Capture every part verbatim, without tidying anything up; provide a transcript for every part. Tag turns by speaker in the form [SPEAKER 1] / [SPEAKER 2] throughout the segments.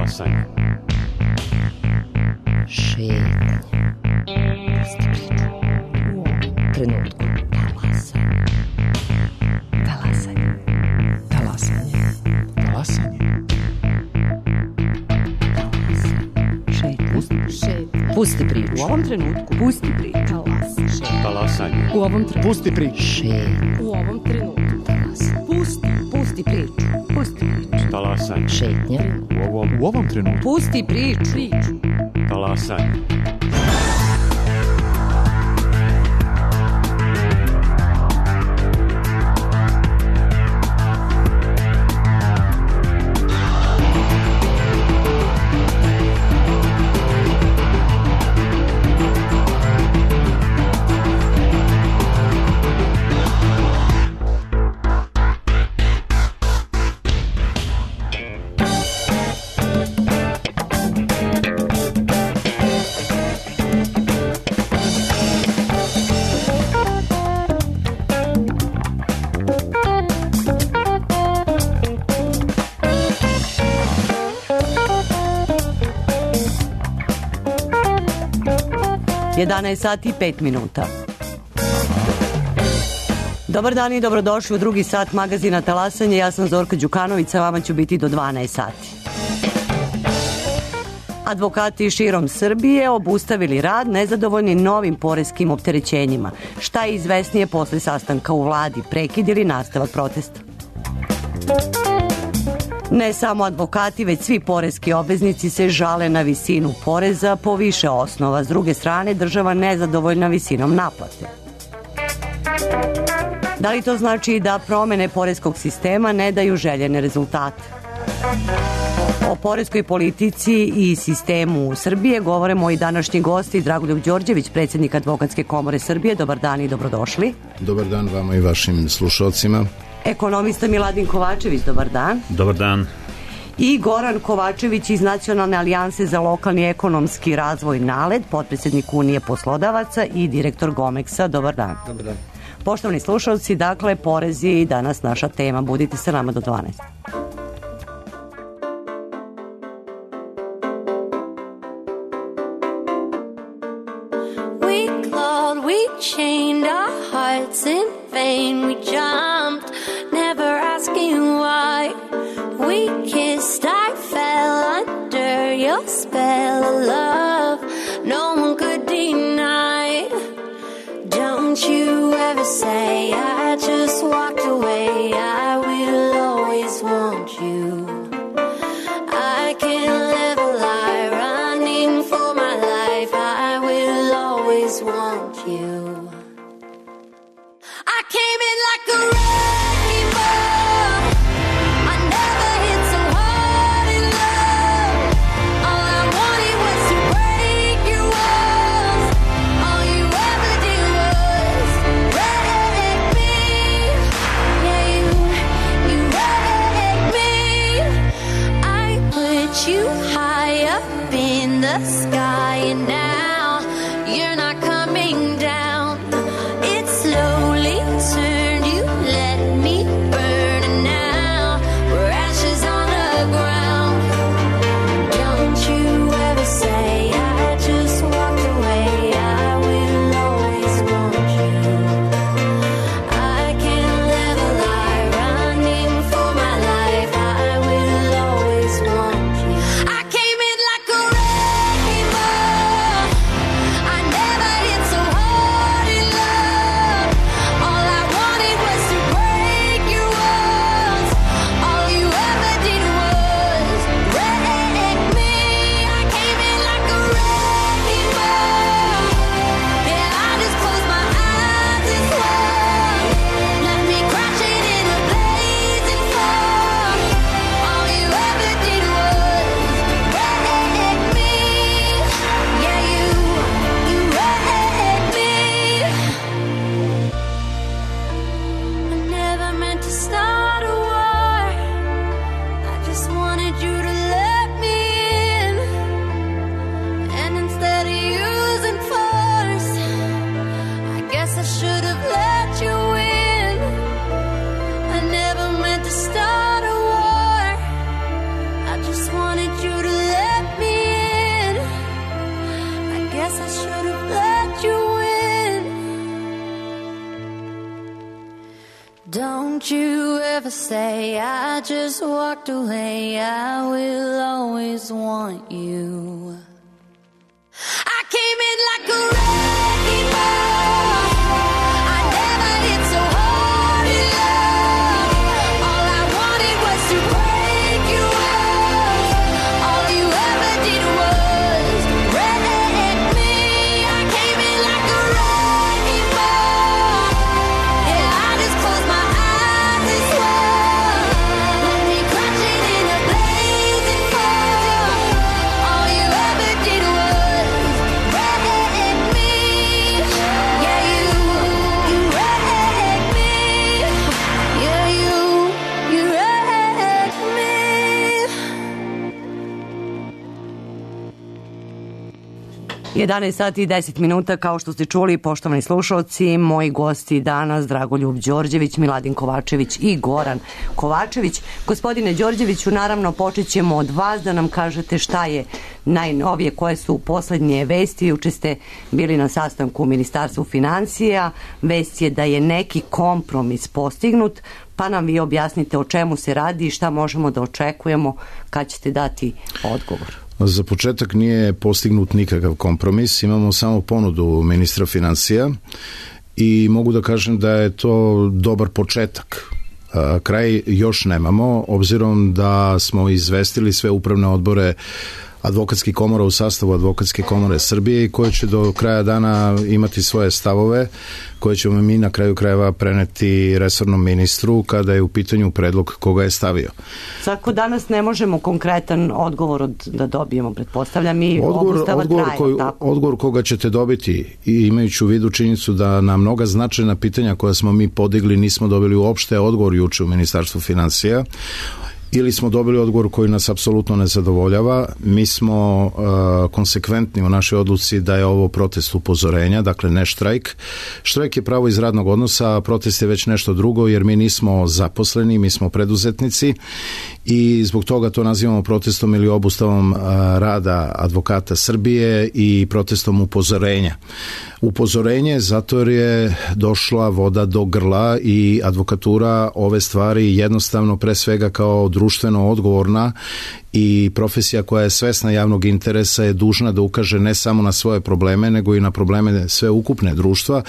[SPEAKER 1] Talasanje.
[SPEAKER 2] Šetnje. Pusti priču. U ovom trenutku. Talasanje. Talasanje. Talasanje.
[SPEAKER 1] Talasanje.
[SPEAKER 2] Šetnje. Pusti priču.
[SPEAKER 3] U ovom trenutku.
[SPEAKER 2] Pusti priču.
[SPEAKER 1] Talasanje.
[SPEAKER 3] U ovom trenutku.
[SPEAKER 1] Pusti priču.
[SPEAKER 2] Šetnje.
[SPEAKER 3] U ovom trenutku.
[SPEAKER 2] Talasanje.
[SPEAKER 3] Pusti. Pusti priču. Pusti priču.
[SPEAKER 1] Talasanje.
[SPEAKER 2] Šetnje.
[SPEAKER 1] U ovom, u ovom trenutku.
[SPEAKER 3] Pusti priču. Priču.
[SPEAKER 1] Talasanje.
[SPEAKER 3] jedanaest sati i pet minuta. Dobar dan i dobrodošli u drugi sat magazina Talasanje. Ja sam Zorka Đukanović, sa vama ću biti do dvanaest sati. Advokati širom Srbije obustavili rad nezadovoljni novim poreskim opterećenjima. Šta je izvesnije posle sastanka u vladi, prekid ili nastavak protesta? Ne samo advokati, već svi poreski obveznici se žale na visinu poreza po više osnova. S druge strane, država nezadovoljna visinom naplate. Da li to znači da promene poreskog sistema ne daju željene rezultate? O poreskoj politici i sistemu Srbije govore moji današnji gosti Dragoljub Đorđević, predsjednik Advokatske komore Srbije. Dobar dan i dobrodošli.
[SPEAKER 4] Dobar dan vama i vašim slušalcima.
[SPEAKER 3] Ekonomista Miladin Kovačević, dobar dan.
[SPEAKER 5] Dobar dan.
[SPEAKER 3] I Goran Kovačević iz Nacionalne alijanse za lokalni ekonomski razvoj NALED, potpredsjednik Unije poslodavaca i direktor Gomeksa. Dobar dan.
[SPEAKER 4] Dobar dan.
[SPEAKER 3] Poštovani slušalci, dakle, porezi i danas naša tema. Budite sa nama do dvanaest.
[SPEAKER 6] We clawed, we chained our hearts in vain. We jumped, never asking why. We kissed, I fell under your spell of love. No one could deny. Don't you ever say I just walked away. I will always want you. I can't live a lie running for my life. I will always want you. I came in like a Don't you ever say I just walked away. I will always want you. I came in like a wrecking ball. I never hit so hard in love. All I wanted was to break you off. All you ever did was wreck me. I came in like a wrecking ball. Yeah, I just closed my eyes and swore. Let me crashing in a blazing fire. All you ever did was wreck me. Yeah, you, you wrecked me. Yeah, you, you wrecked me.
[SPEAKER 3] jedanaest sati i deset minuta, kao što ste čuli, poštovani slušalci, moji gosti danas Dragoljub Đorđević, Miladin Kovačević i Goran Kovačević. Gospodine Đorđeviću, naravno počet ćemo od vas da nam kažete šta je najnovije, koje su poslednje vesti. Juče ste bili na sastanku u Ministarstvu finansija, vest je da je neki kompromis postignut, pa nam vi objasnite o čemu se radi i šta možemo da očekujemo kad ćete dati odgovor.
[SPEAKER 4] Za početak nije postignut nikakav kompromis, imamo samo ponudu ministra finansija i mogu da kažem da je to dobar početak. Kraj još nemamo, obzirom da smo izvestili sve upravne odbore advokatskih komora u sastavu Advokatske komore Srbije i koje će do kraja dana imati svoje stavove koje ćemo mi na kraju krajeva preneti resornom ministru kada je u pitanju predlog koga je stavio.
[SPEAKER 3] Svako danas ne možemo konkretan odgovor od, da dobijemo, pretpostavljam, i
[SPEAKER 4] odgovor,
[SPEAKER 3] obustava
[SPEAKER 4] odgovor,
[SPEAKER 3] traje.
[SPEAKER 4] koji, odgovor koga ćete dobiti, i imajući u vidu činjenicu da na mnoga značajna pitanja koja smo mi podigli nismo dobili uopšte odgovor juče u Ministarstvu finansija, ili smo dobili odgovor koji nas apsolutno ne zadovoljava. Mi smo uh, konsekventni u našoj odluci da je ovo protest upozorenja, dakle ne štrajk. Štrajk je pravo iz radnog odnosa, a protest je već nešto drugo, jer mi nismo zaposleni, mi smo preduzetnici i zbog toga to nazivamo protestom ili obustavom uh, rada advokata Srbije i protestom upozorenja. Upozorenje zato jer je došla voda do grla i advokatura ove stvari jednostavno pre svega kao društveno odgovorna i profesija koja je svesna javnog interesa je dužna da ukaže ne samo na svoje probleme, nego i na probleme sve ukupne društva,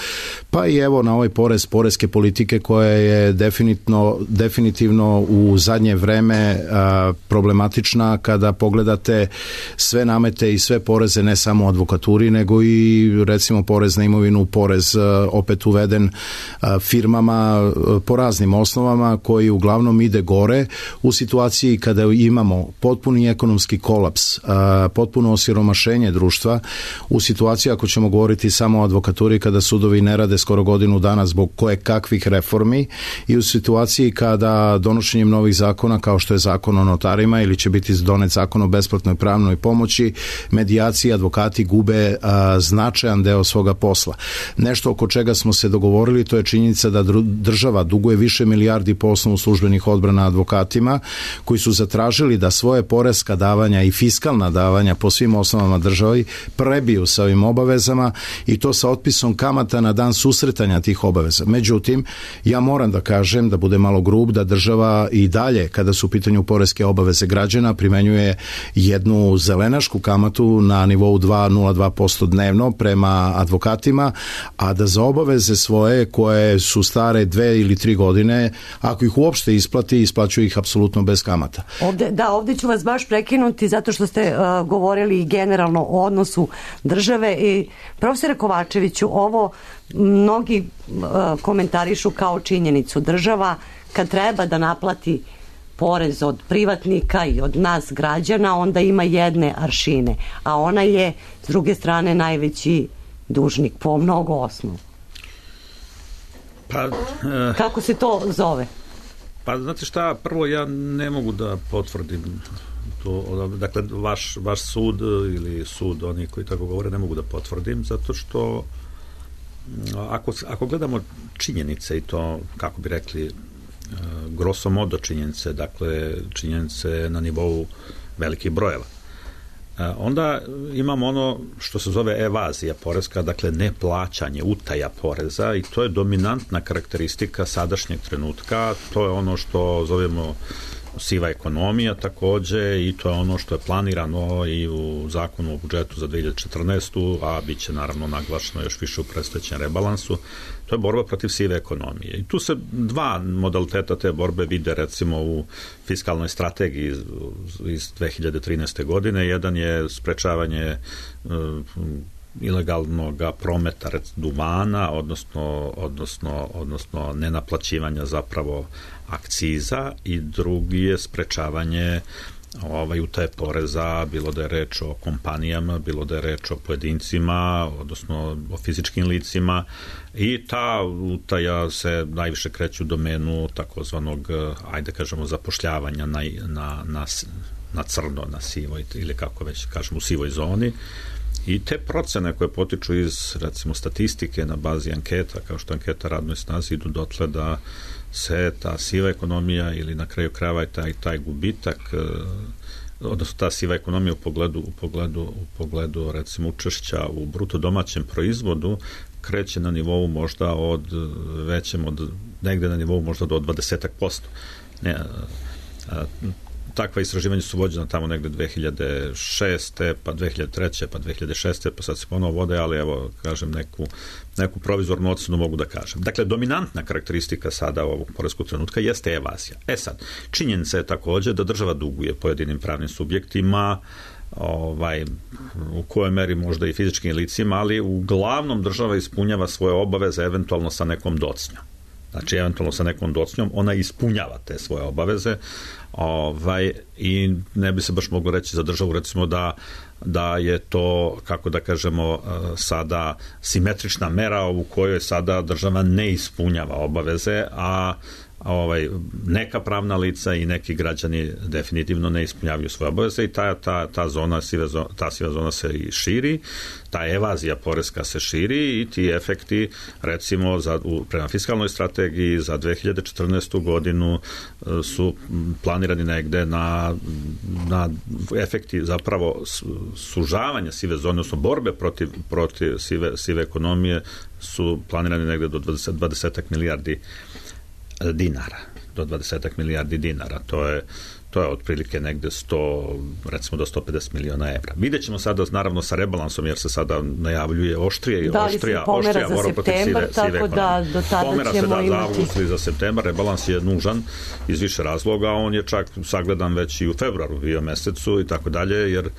[SPEAKER 4] pa i evo na ovaj porez, poreske politike koja je definitivno, definitivno u zadnje vreme a, problematična kada pogledate sve namete i sve poreze, ne samo u advokaturi, nego i recimo porez na imovinu, porez a, opet uveden a, firmama a, po raznim osnovama koji uglavnom ide gore u situaciji kada imamo potpuni ekonomski kolaps, potpuno osiromašenje društva, u situaciji ako ćemo govoriti samo o advokaturi kada sudovi ne rade skoro godinu dana zbog koje kakvih reformi i u situaciji kada donošenjem novih zakona kao što je zakon o notarima ili će biti donet zakon o besplatnoj pravnoj pomoći, medijaciji, advokati gube značajan deo svoga posla. Nešto oko čega smo se dogovorili, to je činjenica da država duguje više milijardi po osnovu službenih odbrana advokatima koji su zatražili da svoje poreska davanja i fiskalna davanja po svim osnovama državi prebiju sa ovim obavezama i to sa otpisom kamata na dan susretanja tih obaveza. Međutim, ja moram da kažem, da bude malo grub, da država i dalje, kada su u pitanju poreske obaveze građana, primenjuje jednu zelenašku kamatu na nivou dva zarez nula dva posto dnevno prema advokatima, a da za obaveze svoje koje su stare dve ili tri godine, ako ih uopšte isplati, isplaćuju ih apsolutno bez kamata.
[SPEAKER 3] Ovde, da, ovde ću vas baš prekinuti zato što ste uh, govorili generalno o odnosu države i profesore Kovačeviću, ovo mnogi uh, komentarišu kao činjenicu. Država kad treba da naplati porez od privatnika i od nas građana, onda ima jedne aršine, a ona je s druge strane najveći dužnik po mnogo osnovu.
[SPEAKER 5] Pa, uh,
[SPEAKER 3] kako se to zove?
[SPEAKER 5] Pa znate šta, prvo ja ne mogu da potvrdim to, dakle vaš, vaš sud ili sud oni koji tako govore ne mogu da potvrdim, zato što ako, ako gledamo činjenice i to, kako bi rekli, grosso modo činjenice, dakle činjenice na nivou velikih brojeva, Onda imamo ono što se zove evazija poreska, dakle neplaćanje, utaja poreza, i to je dominantna karakteristika sadašnjeg trenutka. To je ono što zovemo siva ekonomija takođe, i to je ono što je planirano i u zakonu o budžetu za dve hiljade četrnaestu. a bit će naravno naglašeno još više u predstojećem rebalansu. To je borba protiv sive ekonomije. I tu se dva modaliteta te borbe vide recimo u fiskalnoj strategiji iz, iz dve hiljade trinaeste. godine. Jedan je sprečavanje uh, ilegalnog prometa duvana, odnosno, odnosno, odnosno nenaplaćivanja zapravo akciza, i drugi je sprečavanje ovaj, utaje poreza, bilo da je reč o kompanijama, bilo da je reč o pojedincima, odnosno o fizičkim licima, i ta utaja se najviše kreće u domenu takozvanog, ajde kažemo, zapošljavanja na, na, na, na crno, na sivoj, ili kako već kažemo, u sivoj zoni. I te procene koje potiču iz, recimo, statistike na bazi anketa, kao što anketa radnoj snazi, idu dotle da se ta siva ekonomija, ili na kraju krajeva taj, taj gubitak, odnosno ta siva ekonomija u pogledu, u pogledu, u pogledu recimo učešća u bruto domaćem proizvodu, kreće na nivou možda od većem, od negde na nivou možda do dvadeset posto. Ne, a, takva istraživanja su vođena tamo negde dve hiljade šeste. pa dve hiljade treće. pa dve hiljade šeste. pa sad se ponovo vode, ali evo, kažem, neku, neku provizornu ocenu mogu da kažem. Dakle, dominantna karakteristika sada ovog poreskog trenutka jeste evazija. E sad, činjenica je takođe da država duguje pojedinim pravnim subjektima, ovaj, u kojoj meri možda i fizičkim licima, ali uglavnom država ispunjava svoje obaveze eventualno sa nekom docnjom. Znači, eventualno sa nekom docnjom ona ispunjava te svoje obaveze, ovaj, i ne bi se baš moglo reći za državu, recimo, da, da je to, kako da kažemo, sada simetrična mera u kojoj sada država ne ispunjava obaveze, a ovaj, neka pravna lica i neki građani definitivno ne ispunjavaju svoje obaveze, i ta, ta, ta, zona, siva zona, ta siva zona se i širi, ta evazija poreska se širi, i ti efekti, recimo, za, u, prema fiskalnoj strategiji za dve hiljade četrnaestu. godinu su planirani negde na, na efekti zapravo sužavanja sive zone, odnosno borbe protiv, protiv sive, sive ekonomije, su planirani negde do dvadeset, dvadeset milijardi dinara, do dvadeset milijardi dinara. To je, to je otprilike negde sto, recimo do sto pedeset miliona evra. Vidjet ćemo sada, naravno, sa rebalansom, jer se sada najavljuje oštrije i oštrija, oštrija borba protiv sive, sive ekonomije. Da, do tada pomera se da za avgust ili za septembar. Rebalans je nužan iz više razloga, on je čak sagledan već i u februaru, bio mesecu i tako dalje, jer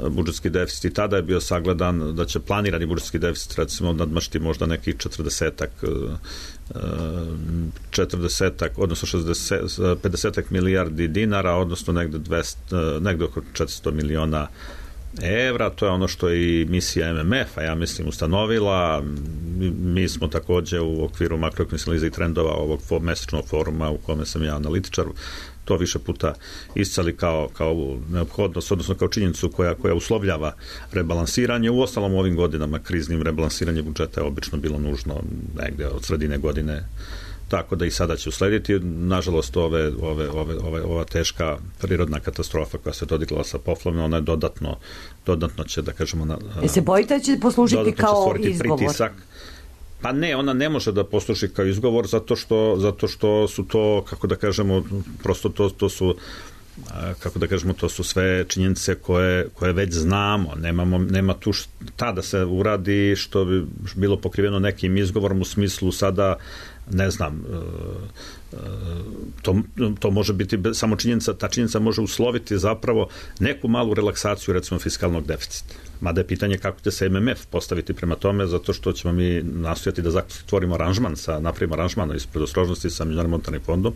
[SPEAKER 5] budžetski deficit i tada je bio sagledan da će planirani budžetski deficit, recimo, nadmašiti možda nekih četrdesetak četrdesetak, odnosno šezdeset, pedesetak milijardi dinara, odnosno negde, dvesta, negde oko četiristo miliona evra. To je ono što je i misija M M F-a, ja mislim, ustanovila. Mi smo takođe u okviru makroekonomske analize i trendova ovog mesečnog foruma, u kome sam ja analitičar, to više puta iscali kao, kao neophodnost, odnosno kao činjenicu koja, koja uslovljava rebalansiranje. U ostalom, ovim godinama kriznim rebalansiranje budžeta je obično bilo nužno negde od sredine godine, tako da i sada će uslediti. Nažalost, ove, ove, ove, ove, ova teška prirodna katastrofa koja se dodigla sa poplavama, ona je dodatno, dodatno će, da kažemo... Na,
[SPEAKER 3] e se bojite da će poslužiti kao izgovor?
[SPEAKER 5] Pritisak. Pa ne, ona ne može da posluži kao izgovor, zato što, zato što su to, kako da kažemo, prosto to, to su, kako da kažemo, to su sve činjenice koje, koje već znamo. Nemamo, nema tu šta da se uradi što bi bilo pokriveno nekim izgovorom u smislu sada, ne znam, to, to može biti samo činjenica, ta činjenica može usloviti zapravo neku malu relaksaciju, recimo, fiskalnog deficita. Mada je pitanje kako će se M M F postaviti prema tome, zato što ćemo mi nastojati da zatvorimo aranžman, sa, napravimo aranžman iz predostrožnosti sa Međunarodnim monetarnim fondom.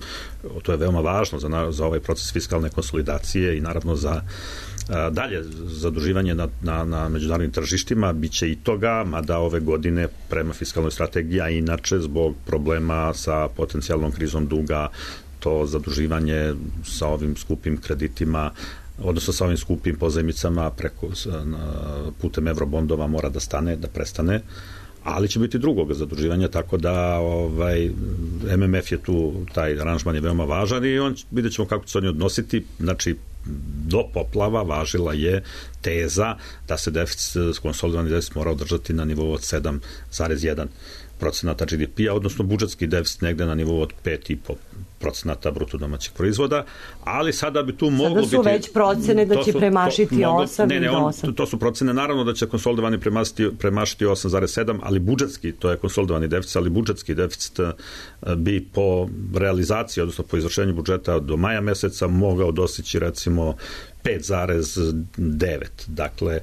[SPEAKER 5] To je veoma važno za, za ovaj proces fiskalne konsolidacije i naravno za a, dalje zaduživanje na, na, na međunarodnim tržištima. Biće i toga, mada ove godine prema fiskalnoj strategiji, a inače zbog problema sa potencijalnom krizom duga, to zaduživanje sa ovim skupim kreditima, odnosno sa ovim skupim pozajmicama preko, putem eurobondova mora da stane, da prestane, ali će biti drugog zaduživanja, tako da ovaj, M M F je tu, taj aranžman je veoma važan i on, vidjet ćemo kako će se oni odnositi. Znači, do poplava važila je teza da se deficit, konsolidovani deficit mora održati na nivou od sedam zarez jedan procenata G D P-a, odnosno budžetski deficit negde na nivou od pet zarez pet procenata bruto domaćeg proizvoda, ali sada bi tu moglo biti...
[SPEAKER 3] Sada su već procene da će premašiti osam
[SPEAKER 5] ne, ne,
[SPEAKER 3] i
[SPEAKER 5] on,
[SPEAKER 3] osam.
[SPEAKER 5] To su procene, naravno da će konsolidovani premašiti, premašiti osam zarez sedam, ali budžetski, to je konsolidovani deficit, ali budžetski deficit bi po realizaciji, odnosno po izvršenju budžeta do maja meseca mogao dostići recimo pet zarez devet, dakle,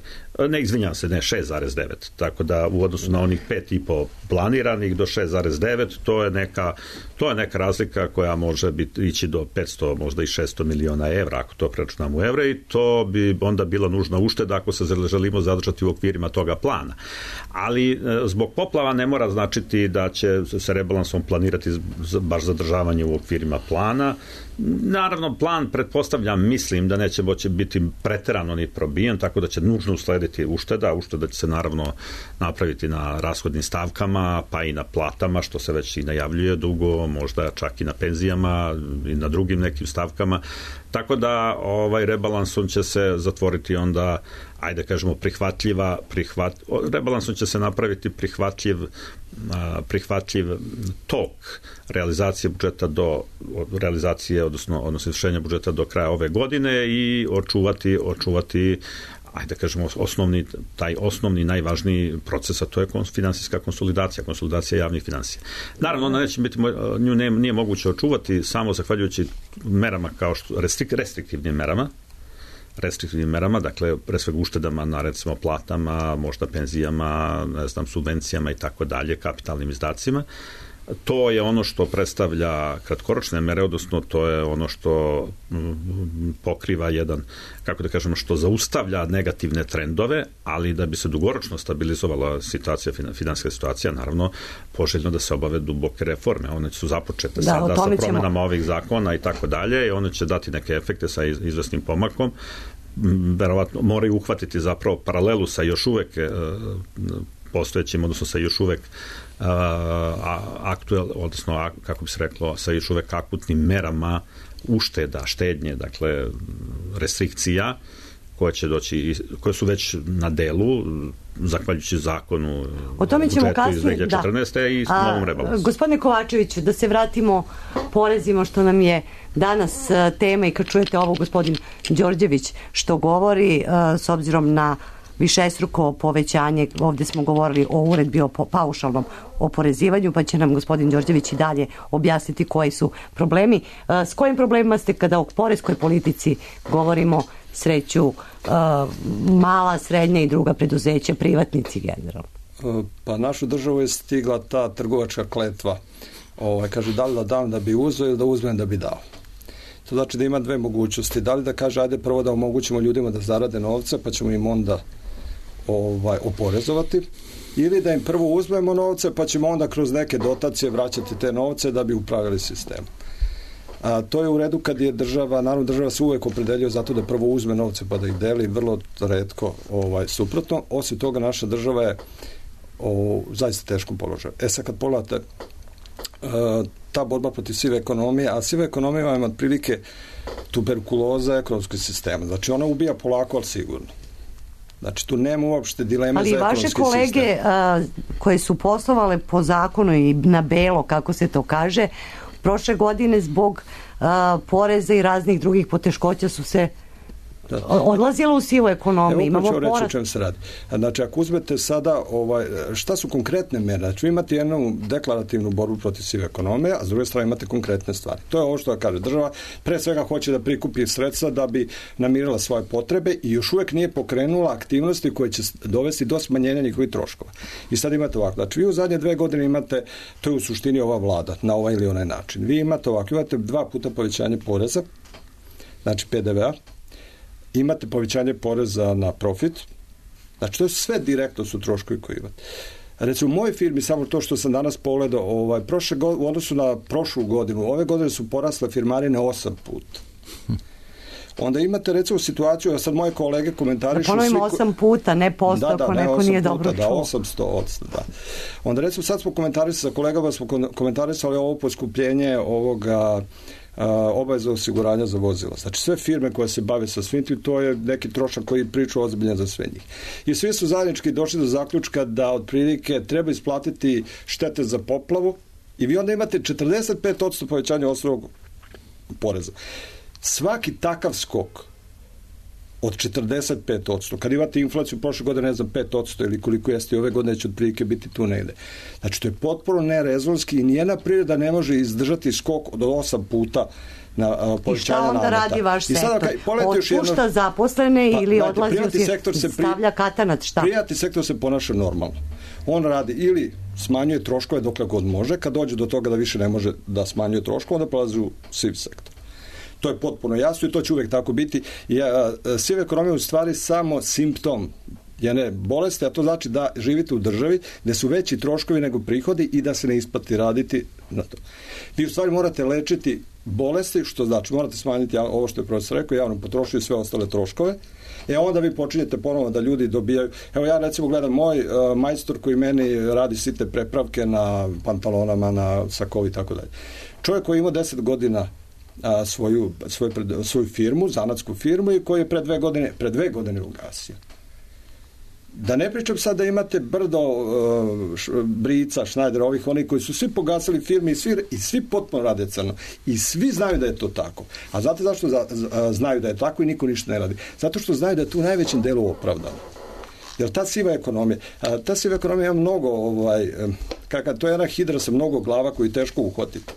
[SPEAKER 5] ne izvinjam se, ne, šest zarez devet, tako da u odnosu na onih pet i po planiranih do šest zarez devet, to je neka, to je neka razlika koja može biti, ići do petsto, možda i šesto miliona evra, ako to preračunamo u evre, i to bi onda bila nužna ušteda ako se želimo zadržati u okvirima toga plana. Ali zbog poplava ne mora značiti da će se rebalansom planirati baš zadržavanje u okvirima plana. Naravno, plan, pretpostavljam, mislim da neće moći biti preterano ni probijen, tako da će nužno uslediti ušteda. Ušteda će se naravno napraviti na rashodnim stavkama, pa i na platama, što se već i najavljuje dugo, možda čak i na penzijama i na drugim nekim stavkama. Tako da ovaj rebalansom će se zatvoriti onda, ajde kažemo, prihvatljiva, prihvat, rebalansom će se napraviti prihvatljiv, prihvatljiv tok realizacije budžeta do realizacije, odnosno, odnosno izvršenja budžeta do kraja ove godine i očuvati, očuvati ajde kažemo, osnovni, taj osnovni najvažniji proces, a to je finansijska konsolidacija, konsolidacija javnih finansija. Naravno, ona neće biti, nju ne, nije moguće očuvati samo zahvaljujući merama kao što, restrik, restriktivnim merama, restriktivnim merama, dakle, pre svega uštedama na, recimo, platama, možda penzijama, ne znam, subvencijama i tako dalje, kapitalnim izdacima. To je ono što predstavlja kratkoročne mere, odnosno to je ono što pokriva jedan, kako da kažemo, što zaustavlja negativne trendove, ali da bi se dugoročno stabilizovala situacija, finansijska situacija, naravno, poželjno da se obave duboke reforme. One su započete da, sada sa promenama ćemo... ovih zakona i tako dalje, i one će dati neke efekte sa izvesnim pomakom. Verovatno moraju uhvatiti zapravo paralelu sa još uvek postojećim, odnosno sa još uvek Uh, aktuel, odnosno kako bi se reklo, sa još uvek akutnim merama ušteda, štednje, dakle restrikcija koje će doći, koje su već na delu zahvaljujući zakonu
[SPEAKER 3] o tome ćemo kasnije,
[SPEAKER 5] iz dve hiljade četrnaeste. Da. I s novom rebalansom. Gospodine
[SPEAKER 3] Kovačeviću, da se vratimo porezima, što nam je danas tema, i kad čujete ovo gospodin Đorđević što govori, uh, s obzirom na višestruko povećanje, ovdje smo govorili o uredbi o paušalnom oporezivanju, pa će nam gospodin Đorđević i dalje objasniti koji su problemi. S kojim problemima ste, kada o poreskoj politici govorimo, sreću mala, srednja i druga preduzeća, privatnici generalno?
[SPEAKER 7] Pa našu državu je stigla ta trgovačka kletva. Ovaj, kaže, da li da dam da bi uzeo ili da uzmem da bi dao. To znači da ima dve mogućnosti. Da li da kaže, ajde prvo da omogućimo ljudima da zarade novce, pa ćemo im onda ovaj, oporezovati, ili da im prvo uzmemo novce, pa ćemo onda kroz neke dotacije vraćati te novce da bi upravljali sistem. A, to je u redu kad je država, naravno država se uvek opredeljuje zato da prvo uzme novce pa da ih deli, vrlo retko ovaj, suprotno. Osim toga, naša država je o zaista teškom položaju. E sad kad pogledate uh, ta borba protiv sive ekonomije, a siva ekonomija vam otprilike tuberkuloza ekonomskog sistema. Znači ona ubija polako, ali sigurno. Znači tu nema uopšte dileme za ekonomski sistem.
[SPEAKER 3] Ali vaše kolege uh, koje su poslovale po zakonu i na belo, kako se to kaže, prošle godine zbog uh, poreza i raznih drugih poteškoća su se Da. odlazilo u sivu ekonomiju.
[SPEAKER 7] Evo ću reći o čem se radi. Znači, ako uzmete sada, ovaj, šta su konkretne mere? Znači, imate jednu deklarativnu borbu protiv sive ekonomije, a s druge strane imate konkretne stvari. To je ovo što kaže država. Pre svega hoće da prikupi sredstva da bi namirila svoje potrebe i još uvek nije pokrenula aktivnosti koje će dovesti do smanjenja njihovih troškova. I sad imate ovako. Znači, vi u zadnje dve godine imate, to je u suštini ova vlada, na ovaj ili onaj način. Vi imate ovako, imate dva puta povećanje poreza, znači P D V-a, imate povećanje poreza na profit, znači to sve direktno su troškovi koji imate. Recimo u mojoj firmi, samo to što sam danas pogledao, ovaj, prošle go, u odnosu na prošlu godinu, ove godine su porasle firmarine osam puta. Onda imate recimo situaciju, da sad moje kolege komentarišu...
[SPEAKER 3] Da ponovimo osam puta, ne posto,
[SPEAKER 7] da, da,
[SPEAKER 3] ako
[SPEAKER 7] ne,
[SPEAKER 3] neko nije
[SPEAKER 7] puta,
[SPEAKER 3] dobro čuo.
[SPEAKER 7] Da, osamsto odsto, da. Onda recimo sad smo komentarisali sa kolegama, smo komentarisali ovo poskupljenje ovoga obaveza osiguranja za vozila. Znači sve firme koje se bave sa svim tim, to je neki trošak koji priča ozbiljan za sve njih. I svi su zajednički došli do zaključka da otprilike treba isplatiti štete za poplavu i vi onda imate četrdeset pet posto povećanja osnovnog poreza. Svaki takav skok od četrdeset pet posto, kad imate inflaciju prošle godine, ne znam, pet posto ili koliko jeste ove godine, će otprilike biti tu negde. Znači, to je potpuno nerezonski i nijedna privreda ne može izdržati skok od osam puta na uh, povećanje nameta.
[SPEAKER 3] I šta onda radi vaš sektor? Otpušta jedno... zaposlene pa, ili odlazi u sektor se pri... stavlja katanat, šta?
[SPEAKER 7] Privatni sektor se ponaša normalno. On radi ili smanjuje troškove dokle god može, kad dođe do toga da više ne može da smanjuje troškove, onda prelazi u siv sektor. To je potpuno jasno i to će uvek tako biti. I, a, siva ekonomija je u stvari samo simptom jedne bolesti, a to znači da živite u državi gde su veći troškovi nego prihodi i da se ne isplati raditi na to. Vi u stvari morate lečiti bolesti, što znači morate smanjiti ovo što je profesor rekao, javnu potrošnju i sve ostale troškove. E onda vi počinjete ponovo da ljudi dobijaju. Evo ja recimo gledam moj uh, majstor koji meni radi site prepravke na pantalonama, na sakovi i tako dalje. Čovjek koji ima deset godina a, svoju, svoju, svoju firmu, zanatsku firmu i koji je pre dve godine, pre dve godine ugasio. Da ne pričam sad da imate brdo uh, š, Brica, Schneider, ovih, oni koji su svi pogasili firme i svi, i svi potpuno rade crno. I svi znaju da je to tako. A znate zašto za, za, znaju da je tako i niko ništa ne radi? Zato što znaju da je tu u najvećem delu opravdano. Jer ta siva ekonomija, a, ta siva ekonomija ima mnogo, ovaj, kakav, to je jedna hidra sa mnogo glava koju je teško uhvatiti.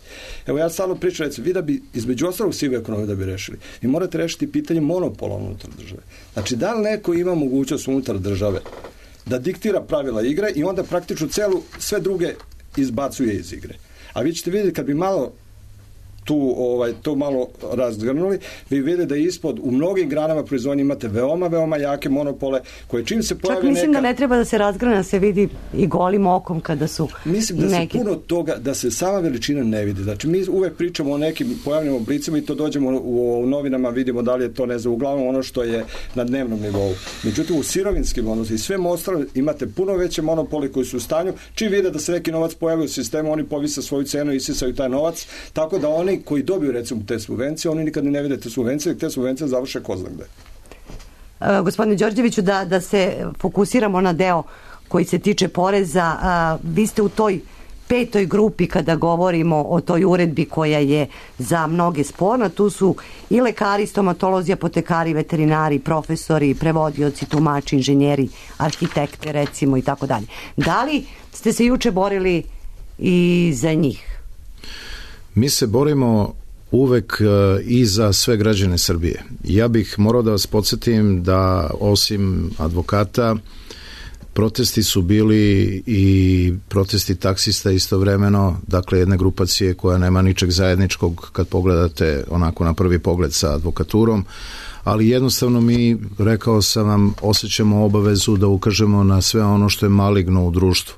[SPEAKER 7] Evo ja stalno pričam, recimo, vi da bi između ostalog sive ekonomije da bi rešili, vi morate rešiti pitanje monopola unutar države. Znači, da li neko ima mogućnost unutar države da diktira pravila igre i onda praktično celu, sve druge izbacuje iz igre. A vi ćete vidjeti kad bi malo tu ovaj to malo razgrnuli, vi vidite da ispod u mnogim granama proizvodnje imate veoma, veoma jake monopole koje čim se pojave neka...
[SPEAKER 3] Čak mislim neka... da ne treba da se razgrana, se vidi i golim okom kada su
[SPEAKER 7] Mislim da
[SPEAKER 3] neki...
[SPEAKER 7] se puno toga, da se sama veličina ne vidi. Znači mi uvek pričamo o nekim pojavnim oblicima i to dođemo u, u novinama, vidimo da li je to, ne znam, uglavnom ono što je na dnevnom nivou. Međutim, u sirovinskim odnosima i sve ostalo imate puno veće monopole koji su u stanju, čim vide da se neki novac pojavi u sistemu, oni povise svoju cenu i isisaju taj novac, tako da oni koji dobiju recimo te subvencije, oni nikad ne vide te subvencije, te subvencije završe ko zna gde.
[SPEAKER 3] Uh, gospodine Đorđeviću, da, da se fokusiramo na deo koji se tiče poreza, uh, vi ste u toj petoj grupi kada govorimo o toj uredbi koja je za mnoge sporna, tu su i lekari, stomatolozi, apotekari, veterinari, profesori, prevodioci, tumači, inženjeri, arhitekte recimo i tako dalje. Da li ste se juče borili i za njih?
[SPEAKER 4] Mi se borimo uvek i za sve građane Srbije. Ja bih morao da vas podsjetim da osim advokata protesti su bili i protesti taksista istovremeno, dakle jedne grupacije koja nema ničeg zajedničkog kad pogledate onako na prvi pogled sa advokaturom, ali jednostavno mi, rekao sam vam, osjećamo obavezu da ukažemo na sve ono što je maligno u društvu.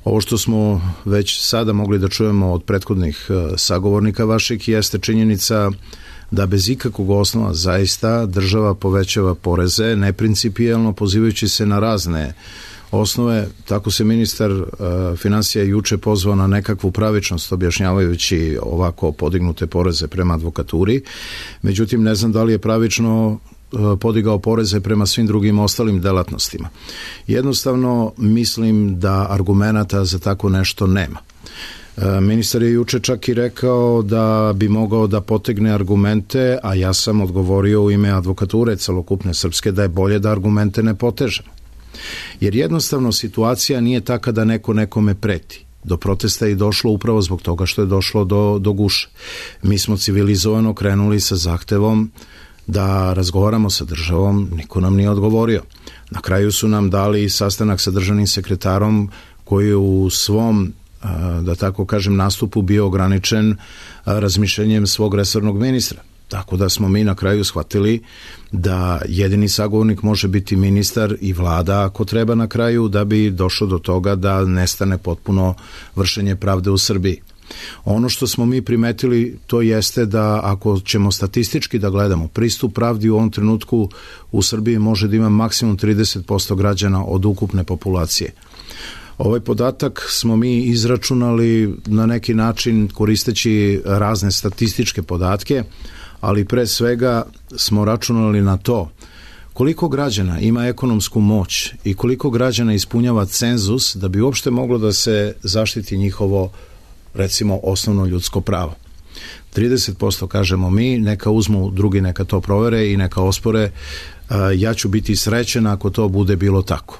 [SPEAKER 4] Ovo što smo već sada mogli da čujemo od prethodnih sagovornika vaših jeste činjenica da bez ikakvog osnova zaista država povećava poreze neprincipijelno pozivajući se na razne osnove. Tako se ministar uh, finansija juče pozvao na nekakvu pravičnost objašnjavajući ovako podignute poreze prema advokaturi. Međutim, ne znam da li je pravično podigao poreze prema svim drugim ostalim delatnostima. Jednostavno mislim da argumenata za tako nešto nema. Ministar je juče čak i rekao da bi mogao da potegne argumente, a ja sam odgovorio u ime advokature celokupne srpske da je bolje da argumente ne potežemo. Jer jednostavno situacija nije taka da neko nekome preti. Do protesta je došlo upravo zbog toga što je došlo do, do guše. Mi smo civilizovano krenuli sa zahtevom da razgovaramo sa državom, niko nam nije odgovorio. Na kraju su nam dali sastanak sa državnim sekretarom koji je u svom, da tako kažem, nastupu bio ograničen razmišljenjem svog resornog ministra. Tako da smo mi na kraju shvatili da jedini sagovornik može biti ministar i vlada ako treba na kraju da bi došlo do toga da nestane potpuno vršenje pravde u Srbiji. Ono što smo mi primetili to jeste da ako ćemo statistički da gledamo, pristup pravdi u ovom trenutku u Srbiji može da ima maksimum trideset posto građana od ukupne populacije. Ovaj podatak smo mi izračunali na neki način koristeći razne statističke podatke, ali pre svega smo računali na to koliko građana ima ekonomsku moć i koliko građana ispunjava cenzus da bi uopšte moglo da se zaštiti njihovo, recimo, osnovno ljudsko pravo. trideset posto kažemo mi, neka uzmu drugi, neka to provere i neka ospore, ja ću biti srećen ako to bude bilo tako.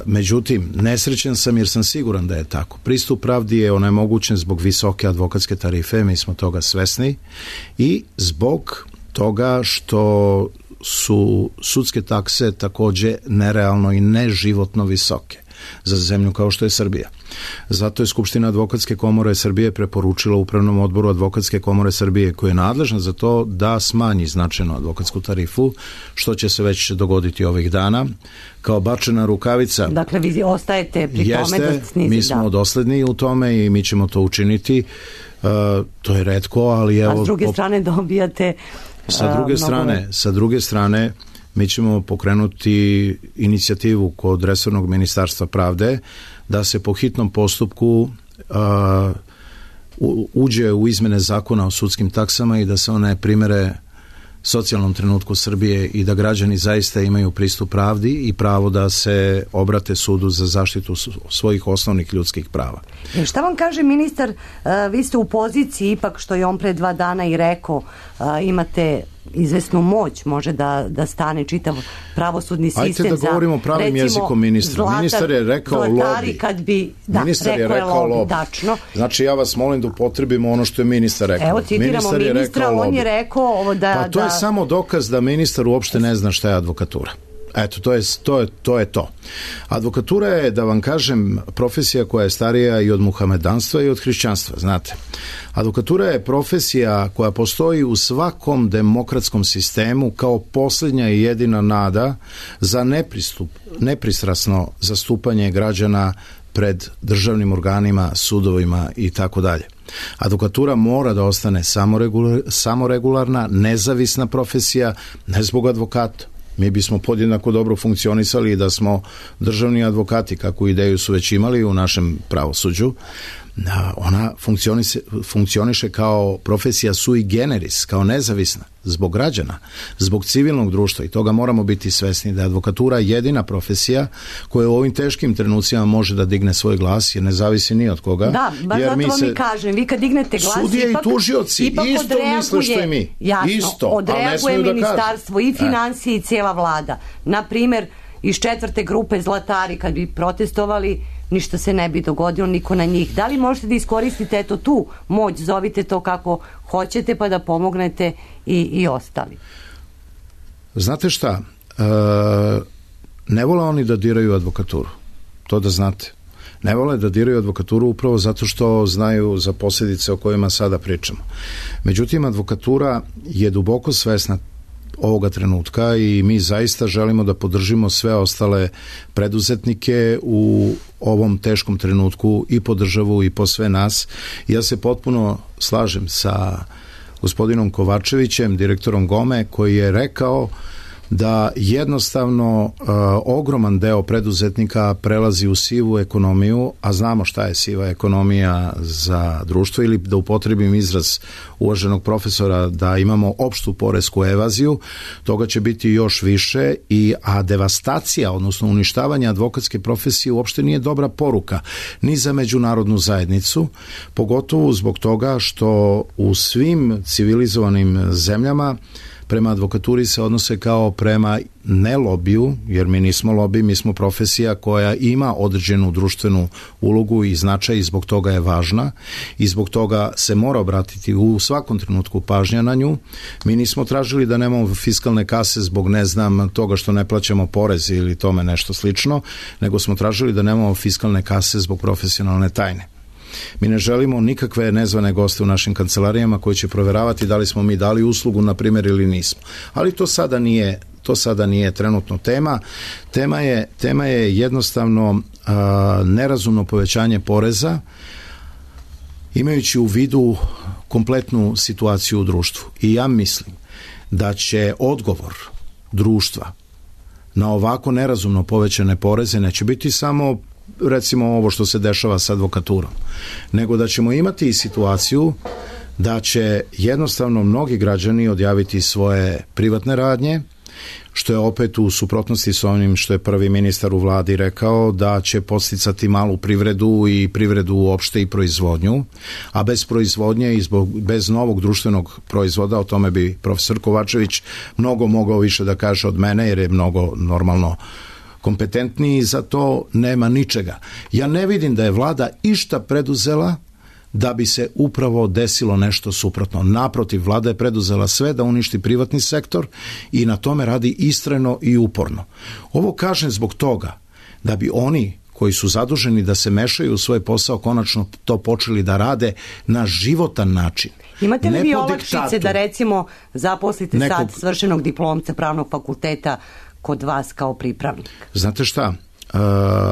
[SPEAKER 4] Međutim, nesrećen sam jer sam siguran da je tako. Pristup pravdi je onemogućen zbog visoke advokatske tarife, mi smo toga svesni, i zbog toga što su sudske takse takođe nerealno i neživotno visoke za zemlju kao što je Srbija. Zato je Skupština Advokatske komore Srbije preporučila Upravnom odboru Advokatske komore Srbije, koja je nadležna za to, da smanji značajno advokatsku tarifu, što će se već dogoditi ovih dana. Kao bačena rukavica.
[SPEAKER 3] Dakle, vi ostajete pri
[SPEAKER 4] jeste,
[SPEAKER 3] tome da snizi,
[SPEAKER 4] mi smo
[SPEAKER 3] da.
[SPEAKER 4] dosledni u tome i mi ćemo to učiniti. Uh, to je retko, ali evo...
[SPEAKER 3] A s druge strane dobijate...
[SPEAKER 4] Sa druge strane, sa druge strane, mi ćemo pokrenuti inicijativu kod resornog ministarstva pravde da se po hitnom postupku uh, uđe u izmene zakona o sudskim taksama i da se one primere socijalnom trenutku Srbije i da građani zaista imaju pristup pravdi i pravo da se obrate sudu za zaštitu svojih osnovnih ljudskih prava.
[SPEAKER 3] E šta vam kaže ministar, uh, vi ste u poziciji, ipak što je on pre dva dana i rekao, uh, imate izvesnu moć, može da, da stane čitav pravosudni sistem.
[SPEAKER 4] Ajte da govorimo pravim
[SPEAKER 3] recimo,
[SPEAKER 4] jezikom ministra.
[SPEAKER 3] Zlatar,
[SPEAKER 4] ministar je rekao lobi.
[SPEAKER 3] Kad bi, da,
[SPEAKER 4] ministar
[SPEAKER 3] rekao
[SPEAKER 4] je rekao
[SPEAKER 3] lobi,
[SPEAKER 4] lobi.
[SPEAKER 3] Dačno.
[SPEAKER 4] Znači ja vas molim da upotrebimo ono što je ministar rekao.
[SPEAKER 3] Evo citiramo
[SPEAKER 4] ministar
[SPEAKER 3] ministra,
[SPEAKER 4] je
[SPEAKER 3] on je rekao ovo da...
[SPEAKER 4] Pa to
[SPEAKER 3] da...
[SPEAKER 4] je samo dokaz da ministar uopšte ne zna šta je advokatura. Eto, to je, to je, to je to. Advokatura je, da vam kažem, profesija koja je starija i od muhamedanstva i od hrišćanstva, znate. Advokatura je profesija koja postoji u svakom demokratskom sistemu kao posljednja i jedina nada za nepristup, nepristrasno zastupanje građana pred državnim organima, sudovima i tako dalje. Advokatura mora da ostane samoregularna, nezavisna profesija, ne zbog advokata. Mi bismo podjednako dobro funkcionisali da smo državni advokati, kakvu ideju su već imali u našem pravosuđu. Ona funkcioniše, funkcioniše kao profesija sui generis, kao nezavisna, zbog građana, zbog civilnog društva, i toga moramo biti svesni da je advokatura jedina profesija koja u ovim teškim trenucima može da digne svoj glas, jer ne zavisi ni od koga.
[SPEAKER 3] Da, baš
[SPEAKER 4] jer
[SPEAKER 3] zato
[SPEAKER 4] mi
[SPEAKER 3] vam
[SPEAKER 4] se,
[SPEAKER 3] i kažem, vi kad dignete glas,
[SPEAKER 4] sudije
[SPEAKER 3] ipak,
[SPEAKER 4] i tužioci
[SPEAKER 3] ipak
[SPEAKER 4] isto misle što i mi.
[SPEAKER 3] Jasno,
[SPEAKER 4] isto,
[SPEAKER 3] odreaguje
[SPEAKER 4] da
[SPEAKER 3] ministarstvo i financije i cijela vlada. Na primer, iz četvrte grupe Zlatari, kad bi protestovali, ništa se ne bi dogodilo, niko na njih. Da li možete da iskoristite eto tu moć, zovite to kako hoćete, pa da pomognete i, i ostali?
[SPEAKER 4] Znate šta, e, ne vole oni da diraju advokaturu, to da znate. Ne vole da diraju advokaturu upravo zato što znaju za posljedice o kojima sada pričamo. Međutim, advokatura je duboko svesna ovoga trenutka i mi zaista želimo da podržimo sve ostale preduzetnike u ovom teškom trenutku i po državu i po sve nas. Ja se potpuno slažem sa gospodinom Kovačevićem, direktorom Gome, koji je rekao da jednostavno uh, ogroman deo preduzetnika prelazi u sivu ekonomiju, a znamo šta je siva ekonomija za društvo, ili da upotrebim izraz uvaženog profesora da imamo opštu poresku evaziju, toga će biti još više, i a devastacija, odnosno uništavanje advokatske profesije uopšte nije dobra poruka ni za međunarodnu zajednicu, pogotovo zbog toga što u svim civilizovanim zemljama prema advokaturi se odnose kao prema ne lobiju, jer mi nismo lobi, mi smo profesija koja ima određenu društvenu ulogu i značaj i zbog toga je važna i zbog toga se mora obratiti u svakom trenutku pažnja na nju. Mi nismo tražili da nemamo fiskalne kase zbog ne znam toga što ne plaćamo porez ili tome nešto slično, nego smo tražili da nemamo fiskalne kase zbog profesionalne tajne. Mi ne želimo nikakve nezvane goste u našim kancelarijama koji će proveravati da li smo mi dali uslugu, na primjer, ili nismo. Ali to sada nije, to sada nije trenutno tema. Tema je, tema je jednostavno a, nerazumno povećanje poreza, imajući u vidu kompletnu situaciju u društvu. I ja mislim da će odgovor društva na ovako nerazumno povećane poreze neće biti samo recimo ovo što se dešava sa advokaturom, nego da ćemo imati i situaciju da će jednostavno mnogi građani odjaviti svoje privatne radnje, što je opet u suprotnosti sa onim što je prvi ministar u vladi rekao, da će podsticati malu privredu i privredu uopšte i proizvodnju, a bez proizvodnje i zbog, bez novog društvenog proizvoda, o tome bi profesor Kovačević mnogo mogao više da kaže od mene, jer je mnogo normalno kompetentniji, za to nema ničega. Ja ne vidim da je vlada išta preduzela da bi se upravo desilo nešto suprotno. Naprotiv, vlada je preduzela sve da uništi privatni sektor i na tome radi istrajno i uporno. Ovo kažem zbog toga da bi oni koji su zaduženi da se mešaju u svoj posao konačno to počeli da rade na životan način.
[SPEAKER 3] Imate li
[SPEAKER 4] ne
[SPEAKER 3] vi
[SPEAKER 4] po
[SPEAKER 3] olakšice
[SPEAKER 4] diktatu.
[SPEAKER 3] da recimo zaposlite
[SPEAKER 4] Nekog...
[SPEAKER 3] sad svršenog diplomca pravnog fakulteta kod vas kao pripravnik?
[SPEAKER 4] Znate šta? Uh,